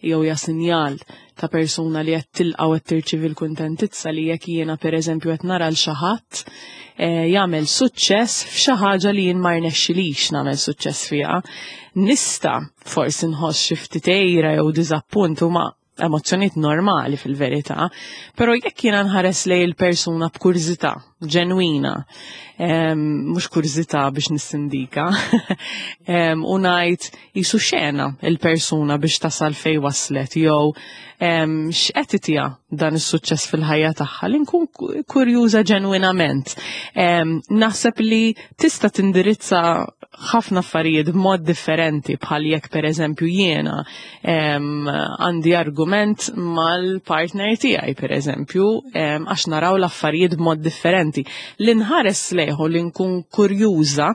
Speaker 2: jew hija sinjal ta' persuna li qed tilqa' u qed tirċievi l-kuntentizza, li jekk jiena, pereżempju, qed nara l xi ħadd eh, jagħmel suċċess f'xi ħaġa li jien ma rnexxilix nagħmel suċċess fiha. Nista' forsi nħoss xi ftit għira jew diżappunt, huma emozzjonijiet normali fil-verità, però jekk jiena nħares lejn il-persuna b'kurżità ġenwina, mhux kurżità biex nissindika, u ngħid jisu xena il-persuna biex tasal fej waslet jew x'qed itiha dan is-suċċess fil-ħajja tagħha, li nkun kurjuża ġenwinament. Naħseb li tista' tindirizza ħafna affarijiet b'mod differenti, bħal jekk, pereżempju, jiena għandi argument mal-partner tiegħi, pereżempju, għax naraw l-affarijiet b'mod differenti. Li nħares lejh u li nkun kurjuża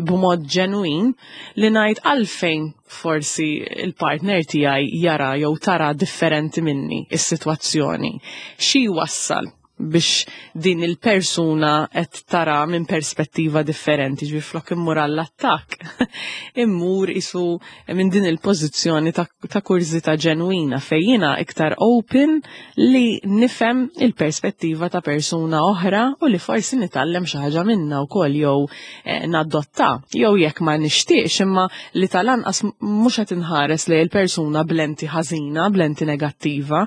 Speaker 2: b'mod ġenwin, li ngħid għalfejn forsi il-partner tiegħi jara jew tara differenti minni is-sitwazzjoni. Xi wassal biex din il-persuna qed tara minn perspettiva differenti? Ġifieri flok immur għall-attakk, immur isu minn din il-pożizzjoni ta', ta kurżità ġenwina fejn jiena iktar open li nifhem il-perspettiva ta' persuna oħra u li forsi nitgħallem xi ħaġa minnha wkoll jew eh, nadotta, jew jekk ma nixtieqx, imma li tal-anqas mhux qed inħares lejn il-persuna b'lenti ħażina, b'lenti negattiva.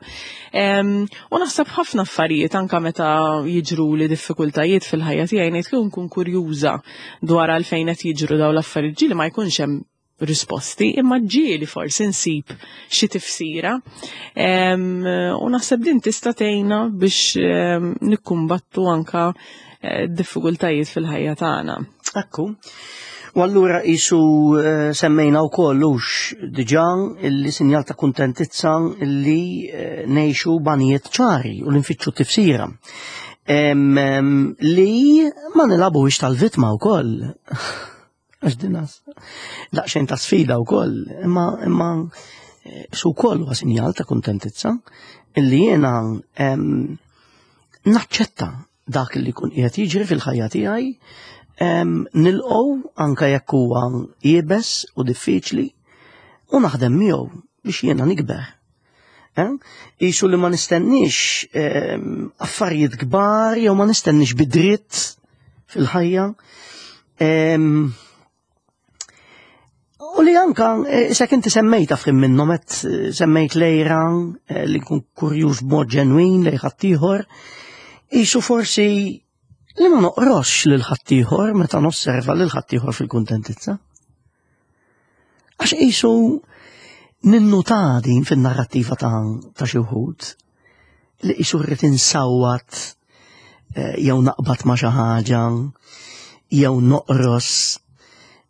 Speaker 2: Em, U naħseb ħafna affarijiet, anka meta jiġru li diffikultajiet fil-ħajja tiegħi, ngħid kieku nkun kurjuża dwar għalfejn qed jiġru dawn l-affarijiet. Ġieli ma jkunx hemm risposti, imma ġieli forsi nsib xi tifsira. Em, U naħseb din tista' tgħinna biex em, nikkumbattu anka eh, diffikultajiet fil-ħajja tagħna.
Speaker 1: Ekku. U allura isu eh, semmejna wkoll hux diġà illi sinjal ta' kuntentizza illi eh, ngħixu b'għanijiet ċari u li nfittxu tifsira. Em, em, li ma nilagħbux tal-vittma wkoll. Għax din daqsxejn ta' sfida wkoll, imma imma eh, su wkoll huwa sinjal ta' kuntentizza illi jiena em, naċċetta dak li kun qiegħed jiġri fil-ħajja tiegħi, em, nilqgħu anka jekk huwa iebes u diffiċli u naħdem miegħu biex jiena nikber. Eh? Isu li ma nistenniex em, affarijiet kbar jew ma nistenniex bidritt fil-ħajja. Em, U li anka, eh, se inti semmejta f'ħin minnhom qed eh, semmejt l-għira, eh, li nkun kurjuż b'mod ġenwin lejn ħaddieħor, isu forsi li ma noqrox lil ħaddieħor meta nosserva lil ħaddieħor fil-kuntentizza. Għax isu ninnuta din fin-narrattiva ta' ta' xi wħud li isu rrid insawwat eh, jew naqbad ma' xi ħaġa jew noqros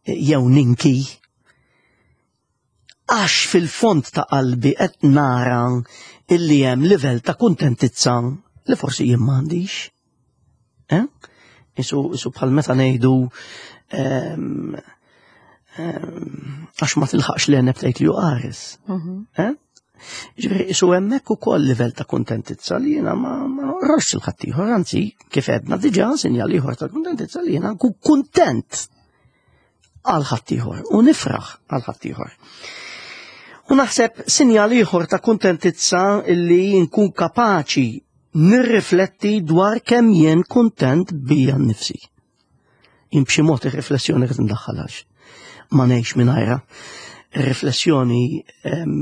Speaker 1: eh, jew ninki, għax fil-fond ta' qalbi qed nara illi hemm livell ta' kuntentizza li forsi jien m'għandix. Eh? Isu, isu bħal meta ngħidu ehm, ehm, għax ma tilħaqx l-għeneb tgħid li hu qares. Eh? Ġifieri isu hemmhekk ukoll livell ta' kuntentizza li jiena ma ma noqrox lil ħaddieħor, anzi, kif għedna diġà, sinjal ieħor ta' kuntentizza li jiena nkun kuntent għal ħaddieħor u nifraħ għal ħaddieħor. U naħseb sinjal ieħor ta' kuntentizza illi nkun kapaċi nirrifletti dwar kemm jien kuntent bija nnifsi. Jien b'xi mod ir-riflessjoni qed ndaħħalhax. Ma ngħix mingħajra. Ir-riflessjoni em,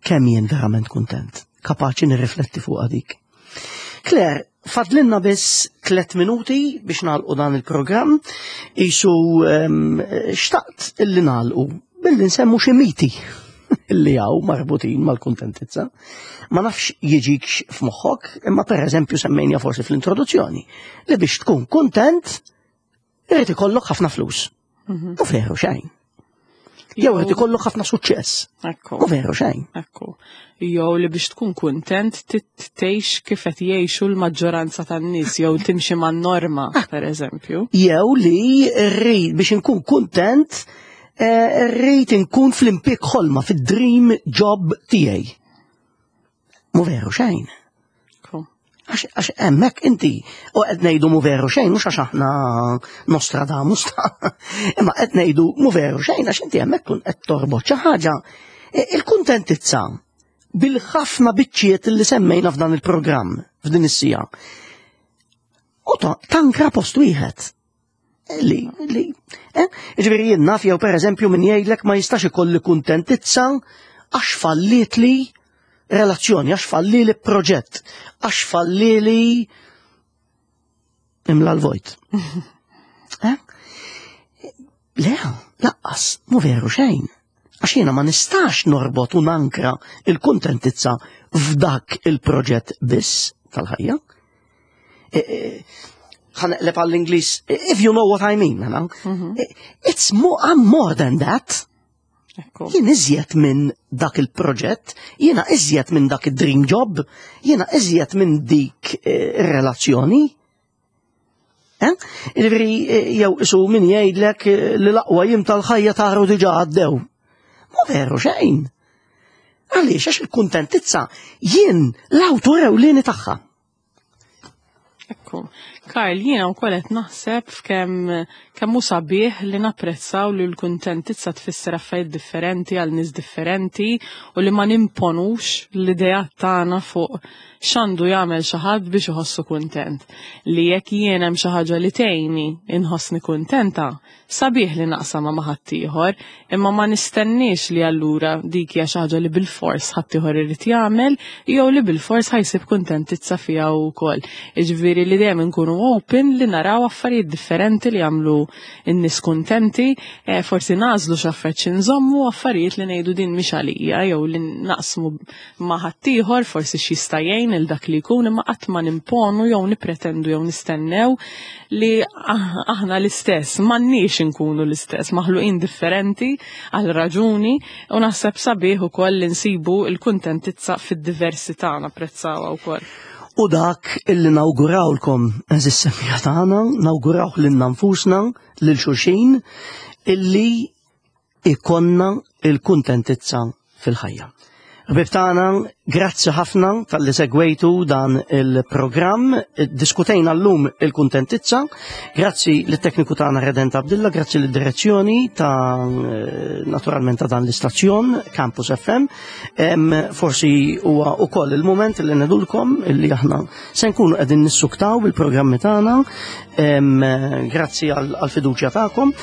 Speaker 1: kemm jien verament kuntent. Kapaċi nirrifletti fuq dik. Claire, fadlinna biss tlet minuti biex nagħlqu dan il-programm. Isu em, xtaqt illi nagħlqu billi nsemmu xi miti illi hawn marbutin mal-kuntentizza. Ma nafx jiġikx f'moħħok, imma per eżempju semmejna forsi fl-introduzzjoni li biex tkun kuntent irid ikollok ħafna flus. U veru xejn. Jew irid ikollok ħafna suċċess.
Speaker 2: Ekku.
Speaker 1: U veru xejn.
Speaker 2: Ekku. Jew li biex tkun kuntent tgħix kif qed jgħixu l-maġġoranza tan-nies jew timxi man-norma, per eżempju.
Speaker 1: Jew li rrid biex inkun kuntent eh, rrid inkun fl-impjieg ħolma, fid-dream job tiegħi. Mu veru xejn.
Speaker 2: Ekku.
Speaker 1: Għax hemmhekk inti u qed ngħidu mu veru xejn, mhux għax aħna Nostradamus ta', imma qed ngħidu mu veru xejn għax inti hemmhekk tkun qed torbot xi ħaġa, e, il-kuntentizza bil-ħafna biċċiet li semmejna f'dan il-programm f'din is-sija. U tankra post wieħed. Li, li, eh? Ġifieri jien naf jew pereżempju min jgħidlek ma jistax ikolli kuntentizza għax falliet li relazzjoni, għax falli li proġett, għax falli li imla l-vojt. Eh? Le, lanqas, mu veru xejn. Għax jiena ma nistax norbot u nankra il-kuntentizza f'dak il-proġett biss tal-ħajja. E, e, ħa naqleb għall-Ingliż, if you know what I mean, mm -hmm. It's more, I'm more than that. Jien iżjed minn dak il-proġett, jiena iżjed minn dak il-dream job, jiena iżjed minn dik ir-relazzjoni. Eh? Ġifieri, jew isu min jgħidlek li l-aqwa jiem tal-ħajja taru diġà għaddew. Mu veru xejn. Għaliex, għax il-kuntentizza jien l-awtur ewlieni tagħha.
Speaker 2: Ekku. Karl, jiena wkoll qed naħseb f'kemm kemm hu sabiħ li napprezzaw li l-kuntentizza tfisser affarijiet differenti għal nies differenti u li ma nimponux l-ideat tagħna fuq x'għandu jagħmel xi ħadd biex iħossu kuntent. Li jekk jien hemm xi ħaġa li tgħinni inħossni kuntenta, sabiħ li naqsama ma' ħaddieħor, imma ma nistenniex li allura dik hija xi ħaġa li bilfors ħaddieħor irid jagħmel jew li bilfors ħa jsib kuntentizza fiha wkoll. Jiġifieri li dejjem inkunu open li naraw affarijiet differenti li jagħmlu n-nies kuntenti, eh, forsi nagħżlu x'affarijiet xi nżommu, affarijiet li ngħidu din mhix għalija jew li naqsmu ma' ħaddieħor forsi x'jista' jgħin il dak li jkun, imma qatt ma nimponu jew nipretendu jew nistennew li ah- aħna l-istess, m'għandniex inkunu l-istess, maħluqin differenti għal raġuni u naħseb sabiħ ukoll li nsibu l-kuntentizza fid-diversità, napprezzawha wkoll.
Speaker 1: U dak illi nawgurawlkom, għeżież semmiegħa tagħna, nawguraw lilna nfusna, lil xulxin, illi ikollna il-kuntentizza fil-ħajja. Ħbieb tagħna, grazzi ħafna talli segwejtu dan il-programm. Diskutejna llum il-kuntentizza. Grazzi lit-tekniku tagħna Redent Abdilla, grazzi lid-direzzjoni ta' naturalment ta' dan l-istazzjon Campus F M. Em, forsi huwa ukoll il-moment li ngħidulkom illi aħna se nkunu qegħdin nissuktaw bil-programmi tagħna. Em, grazzi għal-fiduċja tagħkom.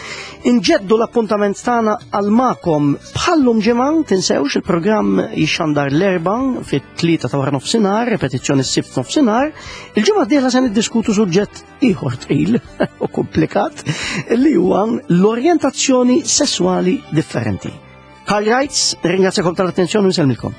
Speaker 1: Inġeddu l-appuntament tagħna għal magħkom bħallum ġimgħa, tinsewx il-programm jixxandar l-Erbgħa fit-tlieta ta' wara nofsinhar, repetizzjoni s-Sibt nofsinhar. Il-ġimgħa d-dieħla se niddiskutu suġġett ieħor tqil u komplikat li huwa l-orjentazzjoni sessuali differenti. Karl Reitz, ringrazzjakom tal-attenzjoni u nsellmilkom.